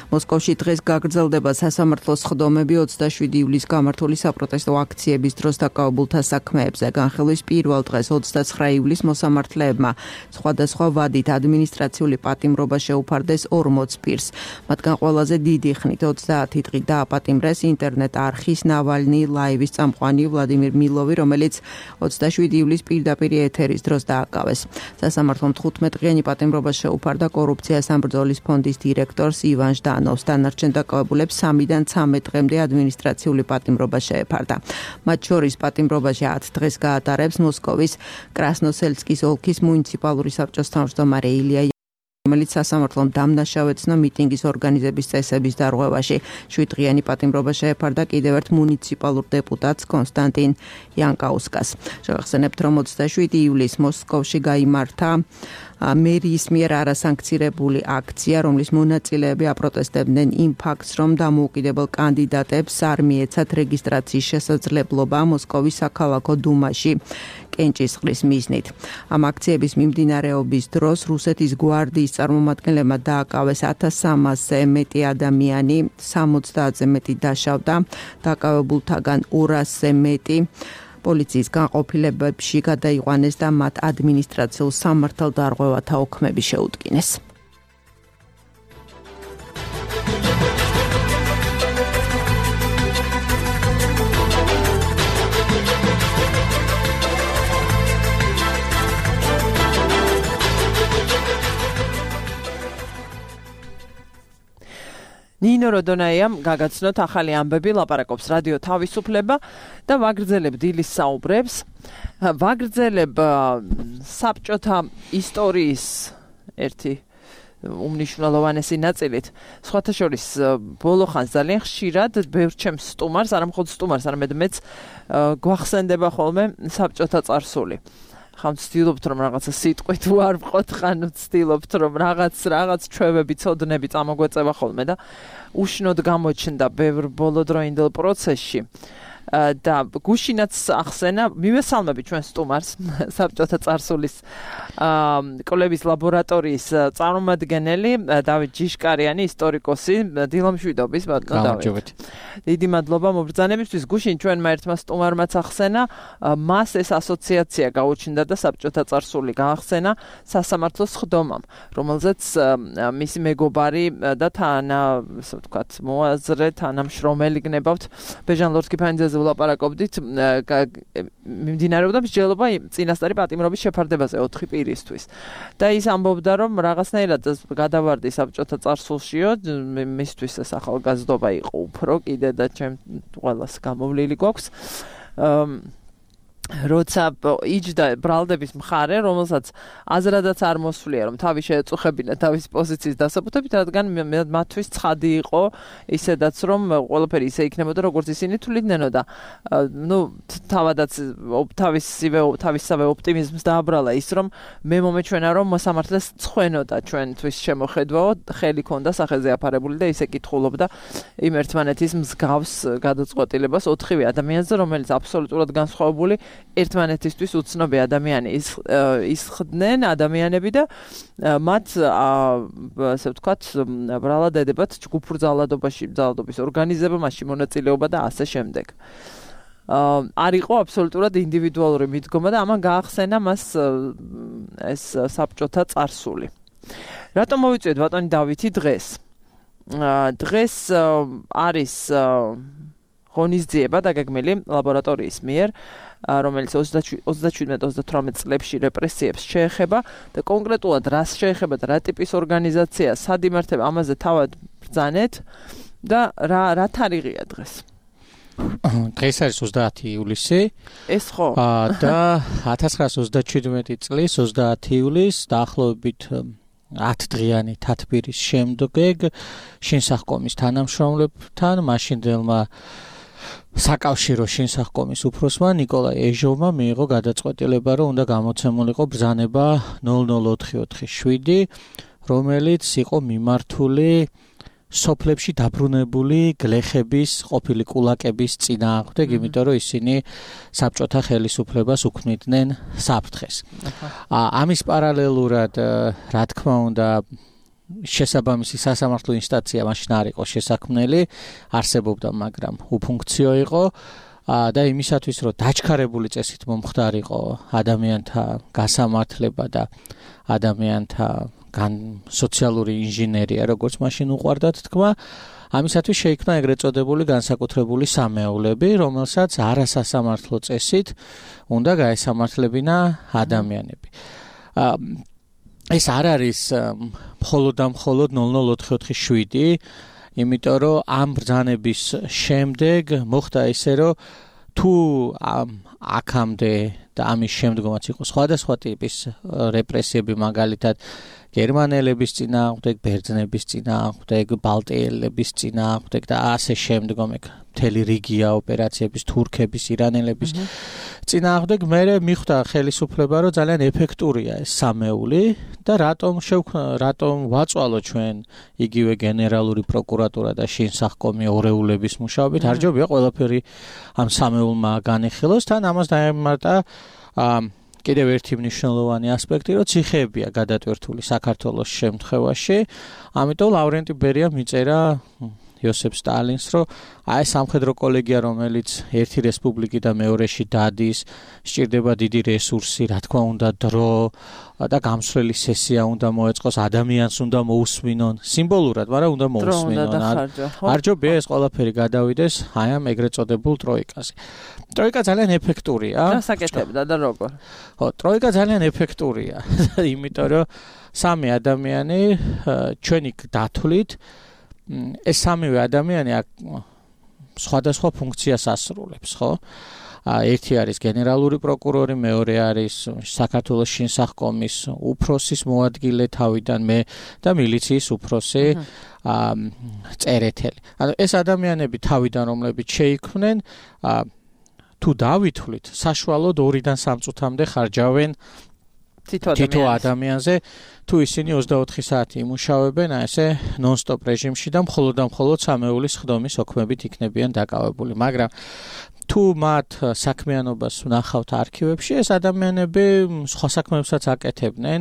მოსკოვში დღეს გაგრძელდება სასამართლო სხდომები ოცდაშვიდი ივლისს გამართული საპროტესტო აქციების დროს დაკავებულთა საქმეებზე. განხილვის პირველ დღეს ოცდაცხრა ივლისს მოსამართლეებმა სხვადასხვა ვადით ადმინისტრაციული პატიმრობა შეუფარდეს ორმოც პირს. მათგან ყველაზე დიდი ხნით ოცდაათი დღით დააპატიმრეს ინტერნეტ არხის ნავალნი ლაივის წამყვანი ვლადიმირ მილოვი, რომელიც ოცდაშვიდი ივლისს პირდაპირ ეთერის დროს დააკავეს. სასამართლომ თხუთმეტ-დღიანი პატიმრობა შეუფარდა კორუფციას ამბრძოლის ფონდის დირექტორს ივან ჟდანოვს. დანარჩენ დაკავებულებს სამიდან ცამეტ დღემდე ადმინისტრაციული პატიმრობა შეეფარდა. მათ შორის პატიმრობაში ათ დღეს გაატარებს მოსკოვის კრასნოსელსკის ოლქის მუნიციპალური საბჭოს თავმჯდომარე ილია, რომელიც სასამართლომ დამნაშავეცნო მიტინგის ორგანიზების წესების დარღვევაში. შვიდდღიანი პატიმრობა შეეფარდა კიდევ ერთ მუნიციპალურ დეპუტატს კონსტანტინ იანკაუსკას. შევახსენებთ, რომ ოცდაშვიდი ივლისს მოსკოვში გაიმართა მერიის მიერ არასანქცირებული აქცია, რომლის მონაწილეები აპროტესტებდნენ იმ ფაქტს, რომ დამოუკიდებელ კანდიდატებს არ მიეცათ რეგისტრაციის შესაძლებლობა მოსკოვის საქალაქო დუმაში კენჭისყრის მიზნით. ამ აქციების მიმდინარეობის დროს რუსეთის გვარდიის წარმომადგენლებმა დააკავეს ათას სამასზე მეტი ადამიანი, სამოცდაათზე მეტი დაშავდა, დაკავებულთაგან ორასზე მეტი პოლიციის განყოფილებებში გადაიყვანეს და მათ ადმინისტრაციულ სამართალდარღვევათა ოქმები შეუდგინეს. ნინო როდონაიამ გაგაცნოთ ახალი ამბები, ლაპარაკობს რადიო თავისუფლება და ვაგრძელებ დილის საუბრებს. ვაგრძელებ საბჭოთა ისტორიის ერთი უმნიშვნელოვანესი ნაწილით. სხვათა შორის ბოლო ხანს ძალიან ხშირად ბევრ ჩემს სტუმარს, არა მხოლოდ სტუმარს, არამედ მეც გვახსენდება ხოლმე საბჭოთა წარსული. ხან ვცდილობთ რომ რაღაცა სიტყვით ვარ ვყოთ, ხან ვცდილობთ რომ რაღაც რაღაც ჩვევები, ცოდნები წამოგვეწევა ხოლმე და უშნოდ გამოჩნდა ბევრ ბოლოდროინდელ პროცესში. და გუშინაც ახსენა, მივესალმები ჩვენ სტუმარს, საბჭოთა წარსულის კვლევის ლაბორატორიის წარმომადგენელი დავით ჯიშკარიანი, ისტორიკოსი, დილომშვიდობის ბატონო დავით. დიდი მადლობა მობრძანებისთვის. გუშინ ჩვენმა ერთმა სტუმარმაც ახსენა, მას ეს ასოციაცია გაუჩნდა და საბჭოთა წარსული გაახსენა სასამართლოს სხდომამ, რომელზეც მისი მეგობარი და თან, ასე ვთქვათ, მოაზრე, თანამშრომელი გნებავთ ბეჟან ლორთქიფანიძეზე ვლაპარაკობდით, მიმდინარეობდა მსჯელობა წინასწარი პატიმრობის შეფარდებაზე ოთხი პირისთვის. და ის ამბობდა, რომ რაღაცნაირად გადავარდი საბჭოთა წარსულშიო, მისთვის ეს ახალგაზრდობა იყო უფრო კიდე და ჩემ ყველას გამოვლილი გვაქვს. როცა იჯდა ბრალდების მხარე, რომელსაც აზრადაც არ მოსვლია, რომ თავი შეეწუხებინა თავის პოზიციის დასაბუთებით, რადგან მათთვის ცხადი იყო ისედაც, რომ ყველაფერი ისე იქნებოდა, როგორც ისინი თვლიდნენ და ნუ თავადაც თავისივე თავისსავე ოპტიმიზმს დააბრალა ის, რომ მე მომეჩვენა, რომ მოსამართლეს წხვენოდა ჩვენთვის შემოხედვაო, ხელი ქონდა სახეზე აფარებული და ისე კითხულობდა იმ ერთმანეთის მსგავს გადაწყვეტილებას ოთხივე ადამიანზე, რომელიც აბსოლუტურად განსხვავებული ერთმანეთისთვის უცნობი ადამიანი ისხდნენ ადამიანები და მათ ასე ვთქვათ ბრალად ედებათ ჯგუფურ ძალადობაში, ძალადობის ორგანიზებაში მონაწილეობა და ასე შემდეგ. არ იყო აბსოლუტურად ინდივიდუალური მიდგომა და ამან გაახსენა მას ეს საბჭოთა წარსული. რატომ მოვიწვიეთ ბატონი დავითი დღეს? დღეს არის ღონისძიება დაგეგმილი ლაბორატორიის მიერ, რომელიც ოცდაშვიდმეტ ოცდათვრამეტ წლებში რეპრესიებს შეეხება და კონკრეტულად რას შეეხება და რა ტიპის ორგანიზაცია, სად იმართება, ამაზე თავად ბრძანეთ და რა რა თარიღია დღეს? დღეს არის ოცდაათი ივლისი. ეს ხო? და ათას ცხრაასი ოცდაშვიდმეტი წლის ოცდაათი ივლისს დაახლოებით ათ დღიანი თათბირის შემდგომ შინსახკომის თანამშრომლებთან მაშინდელმა საკავშირო შინსახკომის უფროსმა ნიკოლაი ეჟოვმა მიიღო გადაწყვეტილება, რომ უნდა გამოცემულიყო ბრძანება ნულ ნულ ოთხი ოთხი შვიდი, რომელიც იყო მიმართული სოფლებში დაბრუნებული გლეხების, ყოფილი კულაკების წინააღმდეგ, იმიტომ რომ ისინი საბჭოთა ხელისუფლებას უქმნიდნენ საფრთხეს. ამის პარალელურად, რა თქმა უნდა, შესაბამისი სასამართლო ინსტანცია მაშინ არ იყო შესაქმნელი, არსებობდა, მაგრამ უფუნქციო იყო და იმისათვის, რომ დაჩქარებული წესით მომხდარიყო ადამიანთა გასამართლება და ადამიანთა გან სოციალური ინჟინერია, როგორც მაშინ უყვარდათ თქვა, ამისათვის შეიქმნა ეგრეთ წოდებული განსაკუთრებული სამეულები, რომელსაც არასასამართლო წესით უნდა გაესამართლებინა ადამიანები. ეს არ არის მხოლოდ და მხოლოდ ნულ ნულ ოთხი ოთხი შვიდი, იმიტომ რომ ამ ბრძანების შემდეგ მოხდა ისე, რომ თუ აქამდე და ამის შემდგომაც იყო სხვადასხვა ტიპის რეპრესიები, მაგალითად გერმანელების წინააღმდეგ, ბერძნების წინააღმდეგ, ბალტიელების წინააღმდეგ და ასე შემდგომ მთელი რიგია ოპერაციების, თურქების, ირანელების წინააღმდეგ, მე მიხვდა ხელისუფლება, რომ ძალიან ეფექტურია ეს სამეული და რატომ რატომ ვაწვალო ჩვენ იგივე გენერალური პროკურატურა და შინსახკომი ორეულების მუშაობით, არ ჯობია ყველაფერი ამ სამეულმა განეხილოს, თან ამას დაემართა კიდევ ერთი მნიშვნელოვანი ასპექტი, რომ ციხეებია გადატვირთული საქართველოს შემთხვევაში, ამიტომ ლავრენტი ბერიამ მიწერა იოსებ სტალინს, რომ აი სამხედრო კოლეგია, რომელიც ერთი რესპუბლიკი და მეორეში დადის, სჭირდება დიდი რესურსი, რა თქმა უნდა, დრო და გამსვლელი სესია უნდა მოეწყოს, ადამიანს უნდა მოусმინონ, სიმბოლურად, მაგრამ უნდა მოусმინონ. არ ჯობია ეს ყველაფერი გადავიდეს აი ამ ეგრეთ წოდებულ ტროიკაზე. ტროიკა ძალიან ეფექტურია. რა საკეთებდა და როგორ? ხო, ტროიკა ძალიან ეფექტურია, იმიტომ რომ სამი ადამიანი ჩვენი დათვლით ეს სამივე ადამიანი სხვადასხვა ფუნქციას ასრულებს, ხო? ერთი არის გენერალური პროკურორი, მეორე არის საქართველოს შინსახკომის უფროსის მოადგილე თავიდან მე და მილიციის უფროსი წერეთელი. ანუ ეს ადამიანები თავიდან რომლებიც შეიქმნენ, თუ დავითვლით, საშუალოდ ორიდან სამ წუთამდე ხარჯავენ თითო ადამიანზე, თუ ისინი ოცდაოთხი საათი იმუშავებენ, ესე ნონ-სტოპ რეჟიმში და მხოლოდ და მხოლოდ სამეულის ხდომის ოქმებით იქნებიან დაკავებული. მაგრამ თუ მათ საქმიანობას ვნახავთ არქივებში, ეს ადამიანები სხვა საქმეებსაც აკეთებდნენ,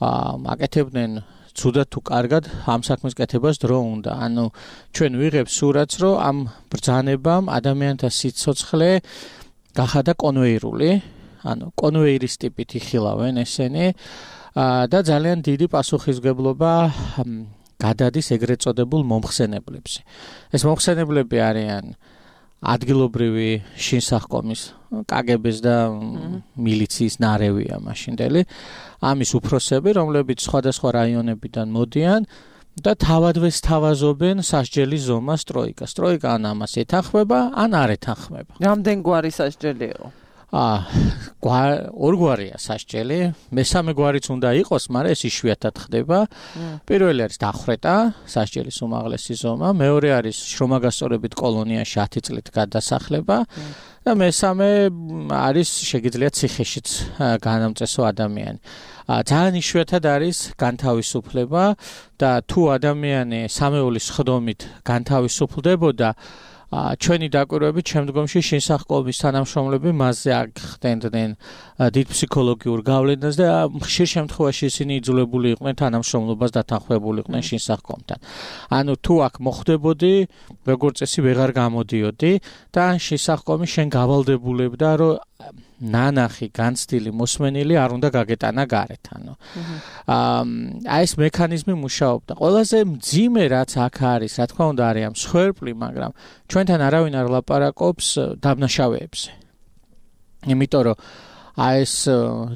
აკეთებდნენ ცუდად თუ კარგად, ამ საქმის კეთებას დრო უნდა. ანუ ჩვენ ვიღებთ სურათს, რომ ამ ბრძანებამ ადამიანთა სიცოცხლე გახადა კონვეირული, ანუ კონვეირის ტიპით იხილავენ ესენი და ძალიან დიდი პასუხისმგებლობა გადადის ეგრეთ წოდებულ მომხსენებლებზე. ეს მომხსენებლები არიან ადგილობრივი შინსახკომის, კაგების და მილიციის ნარევია მაშინდელი, ამის უფროსები, რომლებიც სხვადასხვა რაიონებიდან მოდიან და თავადვე სთავაზობენ სასჯელის ზომას ტროიკას. ტროიკა ან ამას ეთანხმება, ან არ ეთანხმება. რამდენ გვარი სასჯელი იყო? აა, ორგვარია სასჯელი, მესამე გვარიც უნდა იყოს, მაგრამ ეს იშვიათად ხდება. პირველი არის დახვრეტა, სასჯელის უმაღლესი ზომა, მეორე არის შრომაგასწორებით კოლონიაში ათი წლით გადასახლება და მესამე არის შეგიძლიათ ციხეშიც განამწესო ადამიანი. ძალიან იშვიათად არის განთავისუფლება და თუ ადამიანი სამეულის ხდომით განთავისუფლდებოდა, ჩვენი დაკვირვებით შემდგომში შინსახკომის თანამშრომლები მასზე ახდენდნენ დიდ ფსიქოლოგიურ გავლენას და ხშირ შემთხვევაში ისინი იძულებული იყვნენ თანამშრომლობას დათანხმებული იყვნენ შინსახკომთან. ანუ თუ აქ მოხდებოდი, როგორც წესი ვეღარ გამოდიოდი და შინსახკომი შენ გავალდებულებდა, რომ ნანახი განცდილი მოსმენილი არ უნდა გაგეტანა გარეთ, ანუ. აა ეს მექანიზმი მუშაობდა. ყველაზე მძიმე რაც აქ არის, რა თქმა უნდა, არის ამ მსხვერპლი, მაგრამ ჩვენთან არავინ არ ლაპარაკობს დამნაშავეებზე. იმიტომ რომ აი ეს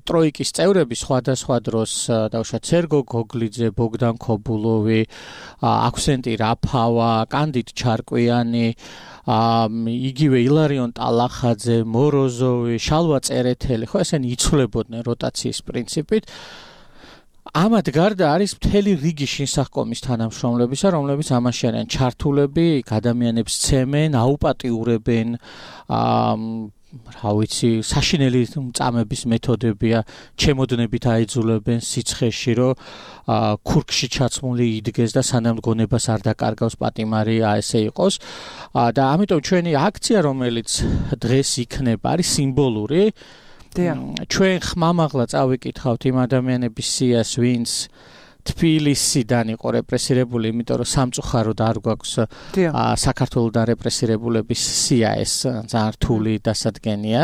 ტროიკის წევრები სხვადასხვა დროს დავუშვათ სერგო გოგლიძე, ბოგდან ქობულოვი, აქვსენტი რაფავა, კანდიდ ჩარკვიანი, იგივე ილარიონ ტალახაძე, მოროზოვი, შალვა წერეთელი, ხო ესენი იცვლებოდნენ როტაციის პრინციპით. ამათ გარდა არის მთელი რიგი შინსახკომის თანამშრომლებისა, რომლებიც ამაში არიან ჩართულები, ადამიანებს ცემენ, აუპატიურებენ, აა რა ვიცი, საშინელი წამების მეთოდებია, ჩემოდნებით აიძულებენ სიცხეში, რომ ქურქში ჩაცმული იდგეს და სანამ გონებას არ დაკარგავს პატიმარი ასე იყოს. და ამიტომ ჩვენი აქცია, რომელიც დღეს იქნება, არის სიმბოლური. ჩვენ ხმამაღლა წავიკითხავთ იმ ადამიანების სიას, ვინც თბილისიდან იყო რეპრესირებული, იმიტომ რომ სამწუხაროდ არ გვაქვს საქართველოსთან რეპრესირებულების სია ეს ძალიან რთული დასადგენია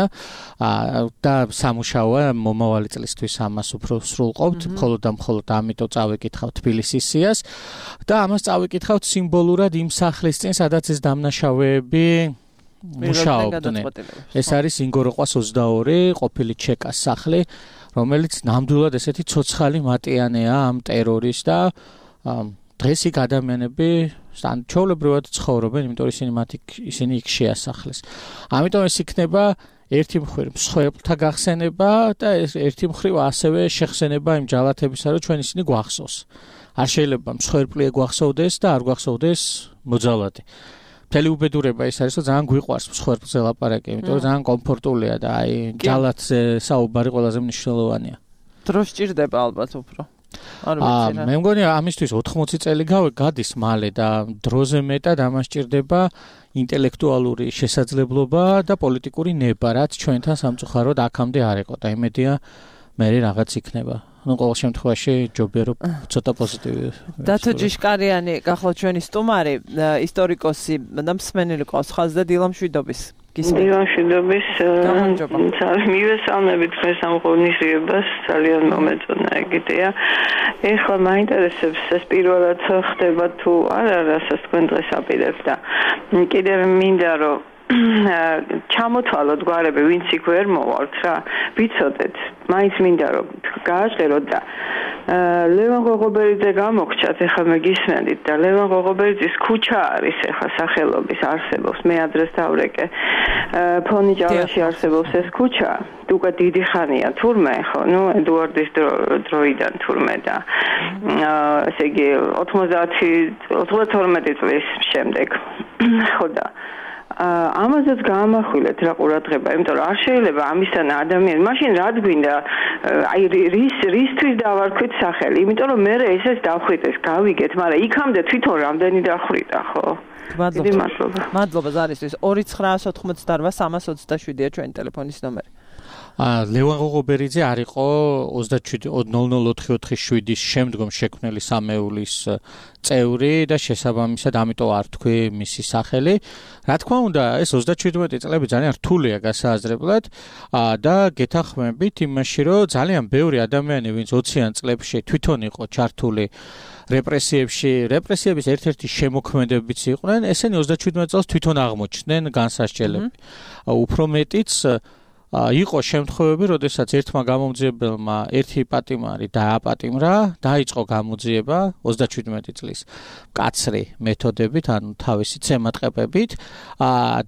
და სამუშაოა მომავალი წლისთვის ამას უფრო სრულყოფთ, მხოლოდ და მხოლოდ ამიტომ წავიკითხავთ თბილისის სიას და ამას წავიკითხავთ სიმბოლურად იმ სახლის წინ, სადაც ეს დამნაშავეები მუშაობდნენ. ეს არის ინგოროყვას ოცდაორი, ყოფილი ჩეკას სახლი, რომელიც ნამდვილად ესეთი ცოცხალი მატიანეა ამ ტერორის და დღეს იქ ადამიანები ჩვეულებრივად ცხოვრობენ, იმიტომ რომ ისინი მათ ისინი იქ შეასახლეს. ამიტომ ეს იქნება ერთი მხრივ მსხვერპლთა გახსენება და ერთი მხრივ ასევე შეხსენება იმ ჯალათებისა, რომ ჩვენ ისინი გვახსოვს. არ შეიძლება მსხვერპლი გვახსოვდეს და არ გვახსოვდეს მოძალადი. მთელი უბედურება ის არის, რომ ძალიან გვიყვარს მსხვერპლზე ლაპარაკი, იმიტომ რომ ძალიან კომფორტულია და აი ჯალათზე საუბარი ყველაზე მნიშვნელოვანია. დრო სჭირდება ალბათ უფრო. არ ვიცი რა. მე მგონი ამისთვის ოთხმოცი წელი გადის მალე და დროზე მეტად ამას სჭირდება ინტელექტუალური შესაძლებლობა და პოლიტიკური ნება, რაც ჩვენთან სამწუხაროდ აქამდე არ იყო და იმედია მე რაღაც იქნება. ну ყოველ შემთხვევაში ჯობია რომ ცოტა პოზიტივი. დათო ჯიშკარიანი გახლავთ ჩვენი სტუმარი, ისტორიკოსი და მსმენელი ყავს ხაზ და დილამშვიდობის. დილამ მშვიდობის. მივესალმებით დღეს ამ ღონისძიებას, ძალიან მომეწონა ეგეთია. ეხლა მაინტერესებს ეს პირველად ხდება თუ არა, რასაც თქვენ დღეს აპირებთ და კიდევ მინდა რომ ჩამოთვალოთ გვარები, ვინც იქ ვერ მოვალთ რა, ვიცოდეთ, მაინც მინდა რომ გააჟღეროთ და ლევან ღოღობერიძე გამოგჩათ, ეხლა მე გისმენდით და ლევან ღოღობერიძის ქუჩა არის ეხლა სახელობის, არსებობს, მე ადრეს დავრეკე, ფონი ჯავაში არსებობს ეს ქუჩა, უკვე დიდი ხანია თურმე, ხო, ნუ ედუარდის დროიდან თურმე და ესე იგი ოცდათორმეტი წლის შემდეგ, ხო და ამაზეც გაამახვილეთ რა ყურადღება, იმიტომ რომ არ შეიძლება ამისთან ადამიანი, მაშინ რად გვინდა, აი რის რისთვის დავარქვით სახელი, იმიტომ რომ მე ესეც დავხვიტეს, გავიგეთ, მაგრამ იქამდე თვითონ რამდენი დახვიტა, ხო? მადლობა. მადლობა ზარისთვის. ორი ცხრაას ოთხმოცდაორვა სამას ოცდაშვიდია ჩვენი ტელეფონის ნომერი. ა ლევან ღოღობერიძე არ იყო ოცდაშვიდი ნულ ნულ ოთხი ოთხი შვიდის შემდგომ შექმნილი სამეულის წევრი და შესაბამისად ამიტომ არ თქვი მისი სახელი. რა თქმა უნდა, ეს ოცდაშვიდმეტი წლები ძალიან რთულია გასააზრებლად და გეთანხმებით იმაში, რომ ძალიან ბევრი ადამიანი, ვინც ოციან წლებში თვითონ იყო ჩართული რეპრესიებში, რეპრესიების ერთ-ერთი შემოქმედებიც იყვნენ, ესენი ოცდაშვიდმეტ წელს თვითონ აღმოჩნდნენ განსასჯელები. უფრო მეტიც იყო შემთხვევები, როდესაც ერთმა გამომძიებელმა ერთი პატიმარი დააპატიმრა, დაიწყო გამოძიება ოცდაშვიდმეტი წლის მკაცრი მეთოდებით, ანუ თავისი ცემატყებებით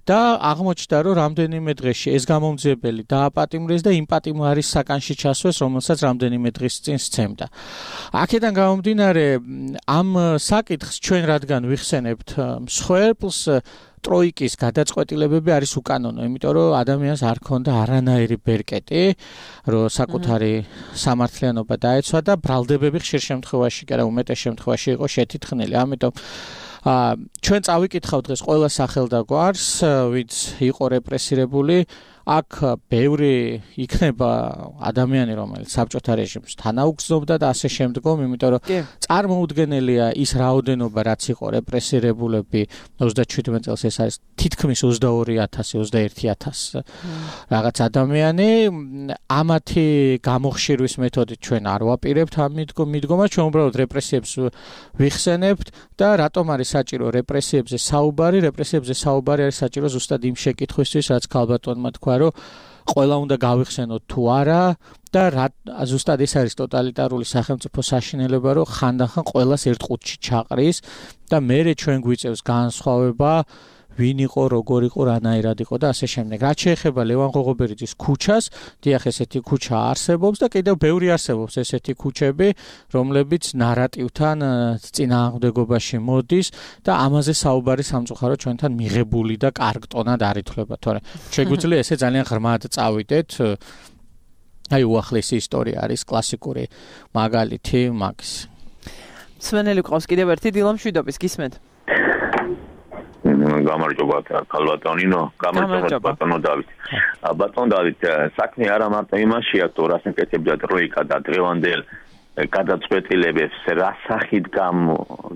და აღმოჩნდა, რომ რამდენიმე დღეში ეს გამომძიებელი დააპატიმრეს და იმ პატიმარის საკანში ჩასვეს, რომელსაც რამდენიმე დღის წინ სცემდა. აქედან გამომდინარე, ამ საკითხს ჩვენ რადგან ვიხსენებთ მსხვერპლს, ტროიკის გადაწყვეტილებები არის უკანონო, იმიტომ რომ ადამიანს არ ქონდა არანაირი ბერკეტი, რომ საკუთარი სამართლიანობა დაეცვა და ბრალდებები ხშირ შემთხვევაში, კი არა უმეტეს შემთხვევაში იყო შეთითხნილი. ამიტომ ჩვენ წავიკითხავთ დღეს ყველა სახელდაგვარს, ვინც იყო რეპრესირებული, აქ ბევრი იქნება ადამიანი, რომელიც საბჭოთა რეჟიმს თანაუგრძნობდა და ასე შემდგომ, იმიტომ რომ წარმოუდგენელია ის რაოდენობა, რაც იყო რეპრესირებულები ოცდაჩვიდმეტ წელს, ეს არის თითქმის ოცდაორი ათასი, ოცდაერთი ათასი რაღაც ადამიანი. ამათი გამოხშირვის მეთოდით ჩვენ არ ვაპირებთ ამ მიდგომას, ჩვენ უბრალოდ რეპრესიებს ვიხსენებთ და რატომ არის საჭირო რეპრესიებზე საუბარი? რეპრესიებზე საუბარი არის საჭირო ზუსტად იმ შეკითხვისთვის, რაც ქალბატონმა თქვა, რომ ყველა უნდა გავიხსენოთ თუ არა და ზუსტად ეს არის ტოტალიტარული სახელმწიფო საშინელება, რომ ხანდახან ყველას ერთ ყუთში ჩაყრის და მერე ჩვენ გვიწევს განსხვავება ვინ იყო, როგორ იყო, რანაირად იყო და ასე შემდეგ. რაც შეეხება ლევან ღოღობერიძის ქუჩას, დიახ, ესეთი ქუჩა არსებობს და კიდევ ბევრი არსებობს ესეთი ქუჩები, რომლებიც ნარატივთან წინააღმდეგობაში მოდის და ამაზე საუბარი სამწუხაროდ ჩვენთან მიღებული და კარგ ტონად არ ითვლება, თორე შეგვიძლია ესე ძალიან ღრმად წავიდეთ. აი უახლესი ისტორია არის კლასიკური მაგალითი მაგის. სვენელი ყავს კიდევ ერთი დილამ შვიდობის გისმენთ. გამარჯობა ქალბატონინო, გამარჯობა ბატონო დავით. ბატონო დავით, საქმე არა მარტო იმაშია, თუ რას ეკეთებდა ტროიკა და დღევანდელ გადაწყვეტილებებს, რა სახით გამ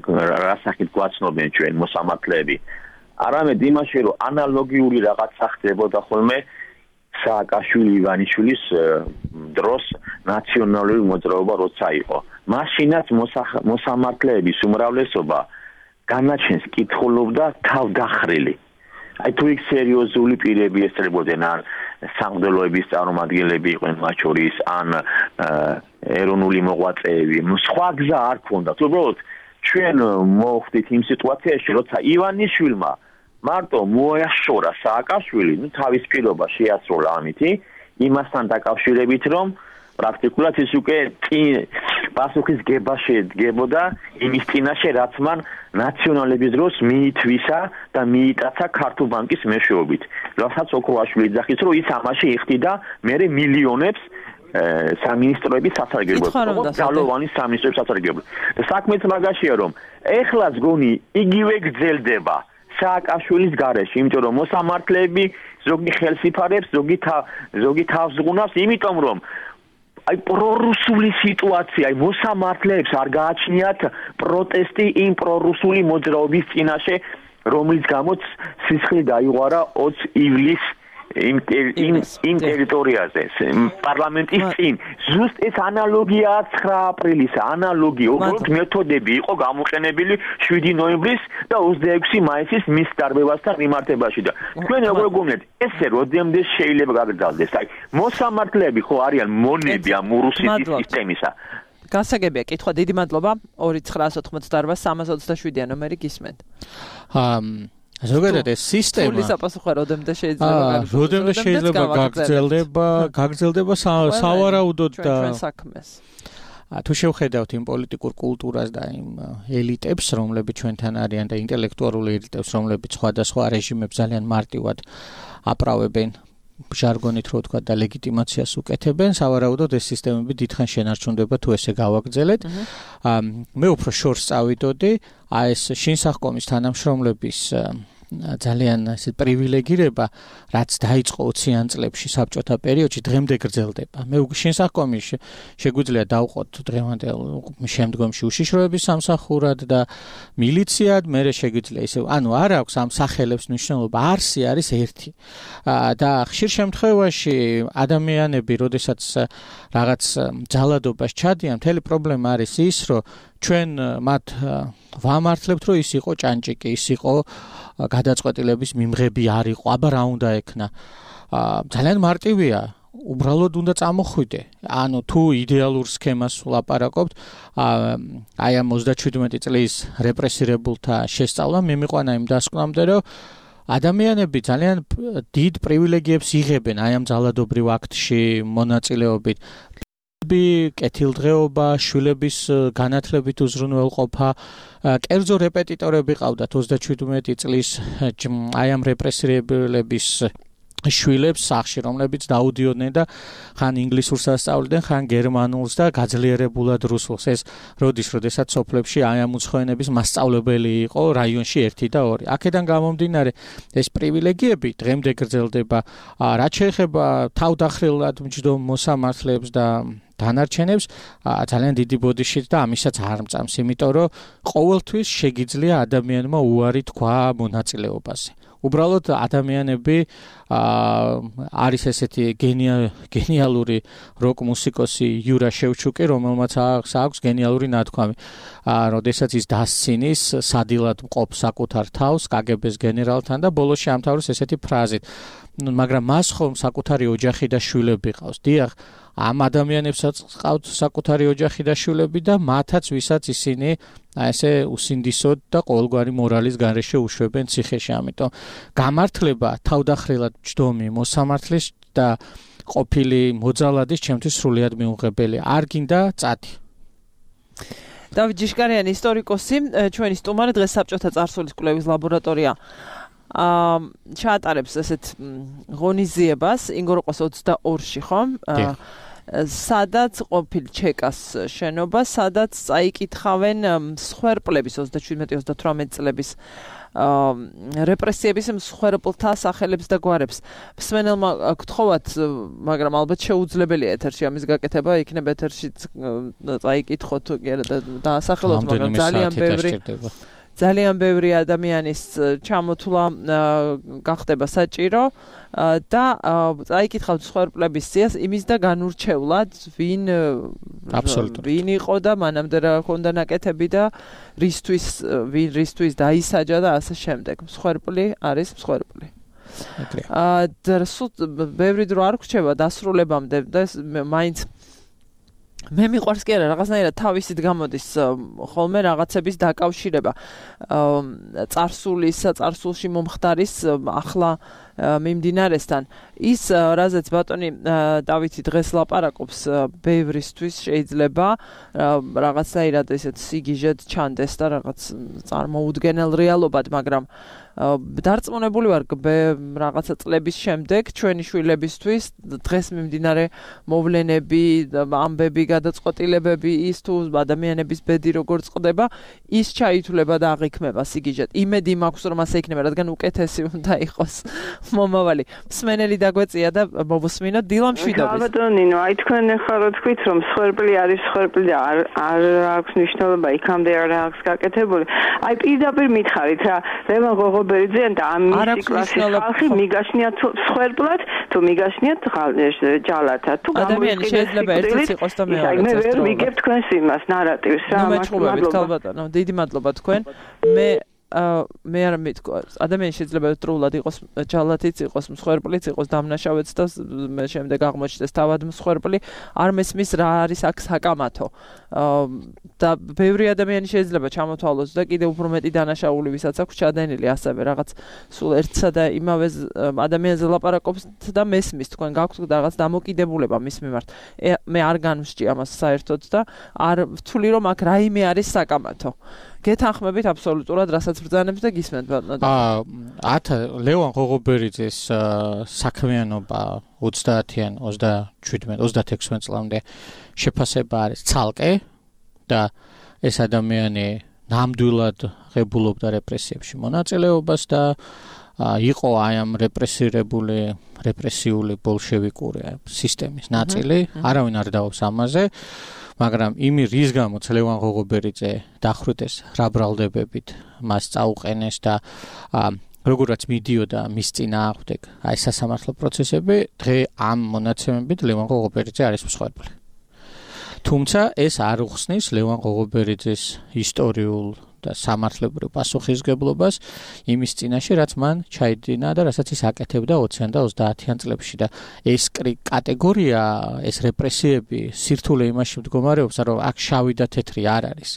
რა სახით გვაცნობენ ჩვენ მოსამართლეები. არამედ იმაში, რომ ანალოგიური რაღაცა ხდებოდა ხოლმე სააკაშვილი ივანიშვილის დროს ნაციონალური მოძრაობა როცა იყო. მაშინაც მოსამართლეების უმრავლესობა განაჩენს კითხულობდა თავდახრილი. აი თუ იქ სერიოზული პირები ესწრებოდნენ ან სამღვდელოების წარმომადგენლები იყვნენ მათ შორის ან ეროვნული მოღვაწეები, სხვა გზა არ ქონდათ. უბრალოდ ჩვენ მოვხდით იმ სიტუაციაში, როცა ივანიშვილმა მარტო მოაშორა სააკაშვილი, ну თავის პირობა შეასრულა ამითი, იმასთან დაკავშირებით, რომ პრაქტიკულად ის უკვე პასუხის გება შედგებოდა იმის წინაშე, რაც მან ნაციონალების დროს მიითვისა და მიიტაცა ქართულ ბანკის მეშვეობით. რასაც ოქროაშვილი ძახის, რომ ის ამაში იხდიდა მერე მილიონებს სამინისტროების სასარგებლოდ, ძალოვანი სამინისტროების სასარგებლოდ. და საქმეც მაგაშია, რომ ეხლაც გონი იგივე გრძელდება სააკაშვილის გარეშე, იმიტომ რომ მოსამართლეები ზოგი ხელს იფარებს, ზოგი ზოგი თავს ზღუნავს, იმიტომ რომ აი პრორუსული სიტუაცია, აი მოსამართლეებს არ გააჩნიათ პროტესტი იმ პრორუსული მოძრაობის წინაშე, რომლის გამოც სისხლი დაიღვარა ოცი ივლისს იმ იმ ტერიტორიაზე, პარლამენტის წინ. ზუსტ ეს ანალოგიაა ცხრა აპრილის, ანალოგია, უბრალოდ მეთოდები იყო გამოყენებული შვიდი ნოემბრის და ოცდაექვსი მაისის მის დარბევასთან მიმართებაში და თქვენ როგორ გონიათ, ესე როდემდე შეიძლება გაგრძელდეს? აი მოსამართლეები ხო არიან მონები ამ რუსეთის სისტემისა. გასაგებია კითხვა, დიდი მადლობა. ორი ცხრაას ოთხმოცდაარბა სამას ოცდაშვიდია ნომერი გისმენთ. აა ზოგადად ეს სისტემა ფული საპასუხო როდემდე შეიძლება გაგრძელდეს? როდემდე შეიძლება გაგრძელდება, გაგრძელდება სავარაუდოდ და ჩვენ საქმეს. თუ შევხედავთ იმ პოლიტიკურ კულტურას და იმ ელიტებს, რომლებიც ჩვენთან არიან და ინტელექტუალურ ელიტებს, რომლებიც სხვადასხვა რეჟიმებს ძალიან მარტივად აპრავებენ, ჟარგონით რო ვთქვა და ლეგიტიმაციას უკეთებენ, სავარაუდოდ ეს სისტემები დიდხან შენარჩუნდება თუ ესე გავაგრძელეთ. მე უფრო შორს წავიდოდი, აი ეს შინსახკომის თანამშრომლების ძალიან ესე პრივილეგირება, რაც დაიწყო ოციან წლებში საბჭოთა პერიოდში, დღემდე გრძელდება. მე შინსახკომის შეგვიძლია დავყოთ დღევანდელ შემდგომში უშიშროების სამსახურად და მილიციად, მე შეგვიძლია ისე, ანუ არ აქვს ამ სახელებს მნიშვნელობა, არსი არის ერთი. და ხშირ შემთხვევაში ადამიანები, როდესაც რაღაც ძალადობას ჩადიან, მთელი პრობლემა არის ის, რომ ჩვენ მათ ვამართლებთ, რომ ის იყო ჭანჭიკი, ის იყო გადაწყვეტილების მიმღები არ იყო, აბა რა უნდა ექნა. ძალიან მარტივია, უბრალოდ უნდა წამოხვიდე. ანუ თუ იდეალურ სქემას ვლაპარაკობთ, აი ამ ოცდაჩვიდმეტი წლის რეპრესირებულთა შესწავლა მიმიყვანა იმ დასკვნამდე, რომ ადამიანები ძალიან დიდ პრივილეგიებს იღებენ აი ამ ძალადობრივ აქტში მონაწილეობით. კეთილდღეობა, შვილების განათლებით უზრუნველყოფა, კერძო რეპეტიტორები ყავდათ ოცდაჩვიდმეტი წლის აი ამ რეპრესირებულების შვილებს სახში, რომლებიც დაუდიოდნენ და ხან ინგლისურს ასწავლდნენ, ხან გერმანულს და გაძლიერებულად რუსულს. ეს როდის, როდესაც სოფლებში აი ამ უცხოენების მასწავლებელი იყო რაიონში ერთი და ორი. აქედან გამომდინარე, ეს პრივილეგიები დღემდე გრძელდება. რაც შეეხება თავდახრილად მჯდომ მოსამართლეებს და დანარჩენებს, ძალიან დიდი ბოდიშით და ამისაც არ მწამს, იმიტომ რომ ყოველთვის შეგიძლია ადამიანმა უარი თქვა მონაწილეობაზე. უბრალოდ ადამიანები არის ესეთი გენიალური როკ მუსიკოსი იურა შევჩუკი, რომელმაც აქვს გენიალური ნათქვამი. როდესაც ის დასცინის, სადილად მყოფ საკუთარ თავს კაგებეს გენერალთან და ბოლოს შეამთავროს ესეთი ფრაზით. მაგრამ მას ხომ საკუთარი ოჯახი და შვილები ყავს. დიახ, ამ ადამიანებსაც ყავთ საკუთარი ოჯახი და შვილები და მათაც ვისაც ისინი აი ესე უსინდისოდ და ყოველგვარი მორალის გარეშე უშვებენ ციხეში. ამიტომ გამართლება თავდახრილად მჯდომი მოსამართლის და ყოფილი მოძალადის ჩემთვის სრულიად მიუღებელი. არ გინდა წადი. დავით ჯიშკარიანი, ისტორიკოსი, ჩვენი სტუმარი, დღეს საბჭოთა წარსულის კვლევის ლაბორატორია აა ჩაატარებს ესეთ ღონისძიებას ინგოროყოს ოცდაორში, ხო? სადაც ყოფილ ჩეკას შენობა, სადაც წაიკითხავენ მსხვერპლების ოცდაშვიდმეტი ოცდათვრამეტი წლების რეპრესიების მსხვერპლთა სახელებს და გვარებს. მსმენელმა გთხოვათ, მაგრამ ალბათ შეუძლებელია ეთერში ამის გაკეთება, იქნება ეთერში წაიკითხოთ და დაასახელოთ, მაგრამ ძალიან ბევრი ძალიან ბევრი ადამიანის ჩამოთვლა გახდება საჭირო და წაიკითხავთ მსხვერპლების სიას იმის და განურჩევლად, ვინ ვინ იყო და მანამდე რა ჰქონდა ნაკეთები და რისთვის ვინ რისთვის დაისაჯა და ასე შემდეგ. მსხვერპლი არის მსხვერპლი. აა და სულ ბევრი დრო არ გრჩება დასრულებამდე და მაინც მე მიყვარს კი არა რაღაცნაირად თავისით გამოდის ხოლმე რაღაცების დაკავშირება წარსულის წარსულში მომხდარის ახლა მიმდინარესთან. ის რაზეც ბატონი დავითი დღეს ლაპარაკობს, ბევრისთვის შეიძლება რაღაცნაირად ესეთ სიგიჟეთ ჩანდეს და რაღაც წარმოუდგენელ რეალობად, მაგრამ დარწმუნებული ვარ რაღაცა წლების შემდეგ ჩვენი შვილებისთვის დღეს მიმდინარე მოვლენები, ამბები, გადაწყვეტილებები, ის თუ ადამიანების ბედი როგორ წყდება, ის ჩაითვლება და აღიქმება სიგიჟეთ. იმედი მაქვს რომ ასე იქნება, რადგან უკეთესი უნდა იყოს მომავალი. მსმენელი დაგვეწია და მოვუსმინოთ დილა მშვიდობის. ბატონინო, აი თქვენ ახლა რო თქვით რომ მსხვერპლი არის მსხვერპლი და არ არ აქვს მნიშვნელობა იქამდე არ აქვს გაკეთებული. აი პირდაპირ მითხარით რა, ლევან ღოღობერიძე და ამ მისი კლასის ხალხი მიგაშნიათ მსხვერპლად, თუ მიგაშნიათ ჯალათად, თუ ადამიანი შეიძლება ერთიც იყოს და მეორე. აი მე ვერ ვიგებ თქვენს იმას ნარატივს რა. მადლობა ბატონო, დიდი მადლობა თქვენ. მე მე არ მეთქვა ადამიანი შეიძლება დროულად იყოს ჯალათიც იყოს მსხვერპლიც იყოს დამნაშავეც და მე შემდეგ აღმოჩნდეს თავად მსხვერპლი არ მესმის რა არის აქ საკამათო და ბევრი ადამიანი შეიძლება ჩამოთვალოს და კიდევ უფრო მეტი დანაშაული ვისაც აქვს ჩადენილი ასევე რაღაც სულ ერთსა და იმავე ადამიანზე ლაპარაკობს და მესმის თქვენ გაქვთ რაღაც დამოკიდებულება მის მიმართ მე არ განვსჭი ამას საერთოდ და არ ვთვლი რომ აქ რაიმე არის საკამათო გეთანხმებით აბსოლუტურად რასაც ბრძანებს და გისმენთ ბატონო. აა ათ ლევან ღოღობერიძის საქმიანობა ოცდაათიან ოცდაშვიდმეტ ოცდაექვსმეტ წლამდე შეფასება არის ცალკე და ეს ადამიანი ნამდვილად ღებულობდა რეპრესიებში მონაწილეობას და იყო აი ამ რეპრესირებული რეპრესიული ბოლშევიკური სისტემის ნაწილი, არავინ არ დავობს ამაზე. მაგრამ იმი რის გამოც ლევან ღოღობერიძე დახვრიტეს რა ბრალდებებით მას წაუყენეს და როგორაც მიდიოდა მის წინააღმდეგ აი სასამართლო პროცესები დღე ამ მონაცემებით ლევან ღოღობერიძე არის მსხვერპლი. თუმცა ეს არ უხსნის ლევან ღოღობერიძის ისტორიულ და სამართლებრივ პასუხისგებლობას იმის წინაშე, რაც მან ჩაიდინა და რასაც ის აკეთებდა ოციან და ოცდაათიან წლებში და ეს კატეგორია, ეს რეპრესიები სირთულე იმაში მდგომარეობს, რომ აქ შავი და თეთრი არ არის.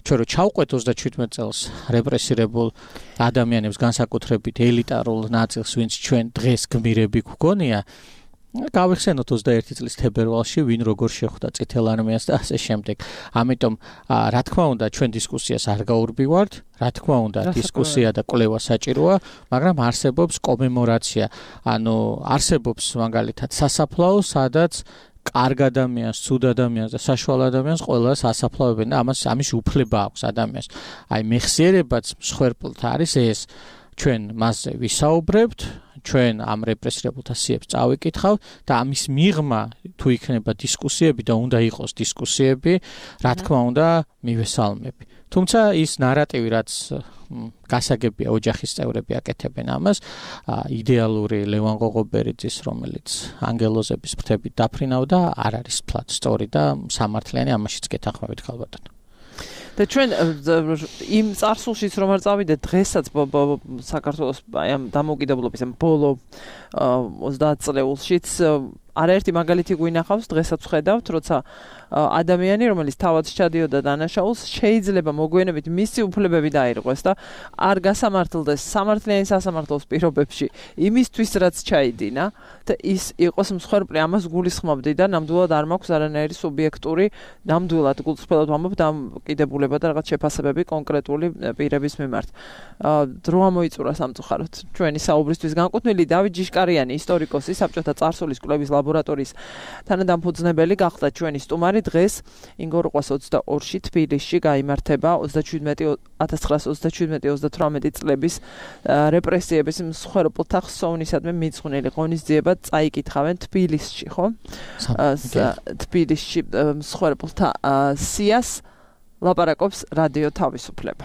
ჩვენ რო ჩავყვეთ ოცდაშვიდმეტ წელს რეპრესირებულ ადამიანებს განსაკუთრებით ელიტარულ ნაწილს, ვინც ჩვენ დღეს გმირები გვგონია, გავიხსენოთ ოცდაერთი წლის თებერვალში ვინ როგორ შეხვდა წითელ არმიას და ასე შემდეგ. ამიტომ რა თქმა უნდა ჩვენ დისკუსიას არ გაურბივართ, რა თქმა უნდა დისკუსია და კვლევა საჭიროა, მაგრამ არსებობს კომემორაცია. ანუ არსებობს მაგალითად სასაფლაო, სადაც კარგ ადამიანს, ცუდ ადამიანს და საშუალო ადამიანს ყველას ასაფლავებენ და ამას ამის უფლება აქვს ადამიანს. აი მეხსიერებაც მსხვერპლთ არის ეს. ჩვენ მასზე ვისაუბრებთ, ჩვენ ამ რეპრესირებულთა სიებს წავიკითხავთ და ამის მიღმა თუ იქნება დისკუსიები და უნდა იყოს დისკუსიები, რა თქმა უნდა, მივესალმები. თუმცა ის ნარატივი, რაც გასაგებია ოჯახის წევრები აკეთებენ ამას, იდეალური ლევან ღოღობერიძის, რომელიც ანგელოზების ფრთებით დაფრინავდა, არ არის ფლად სწორი და სამართლიანი, ამაშიც გეთანხმებით ხალბატონო. და ჩვენ იმ წარსულშიც რომ არ წავიდეთ დღესაც საქართველოს აი ამ დამოუკიდებლობის ამ ბოლო ოცდაათ წლეულშიც არაერთი მაგალითი გვინახავს, დღესაც ვხედავთ, როცა ადამიანი, რომელიც თავად ჩადიოდა დანაშაულს, შეიძლება მოგვიანებით მისი უფლებები დაირღვეს და არ გასამართლდეს სამართლიანი სასამართლოს პირობებში იმისთვის, რაც ჩაიდინა და ის იყოს მსხვერპლი, ამას გულისხმობდი და ნამდვილად არ მაქვს არანაირი სუბიექტური, ნამდვილად გულწრფელად ვამბობ, დამოკიდებულება და რაღაც შეფასებები კონკრეტული პირების მიმართ. დრო ამოიწურა სამწუხაროდ ჩვენი საუბრისთვის განკუთვნილი დავით ჯიშკარიანი, ისტორიკოსი, საბჭოთა წარსულის კვლევის ლაბორატორიის თანადამფუძნებელი გახდა ჩვენი სტუმარი. დღეს ინგოროყვას ოცდაორში თბილისში გაიმართება ოცდაჩვიდმეტი ათას ცხრაასი ოცდაჩვიდმეტი ოცდათვრამეტი წლების რეპრესიების მსხვერპლთა ხსოვნისადმი მიძღვნილი ღონისძიება წაიკითხავენ თბილისში, ხო? თბილისში მსხვერპლთა სიას ლაპარაკობს რადიო თავისუფლება.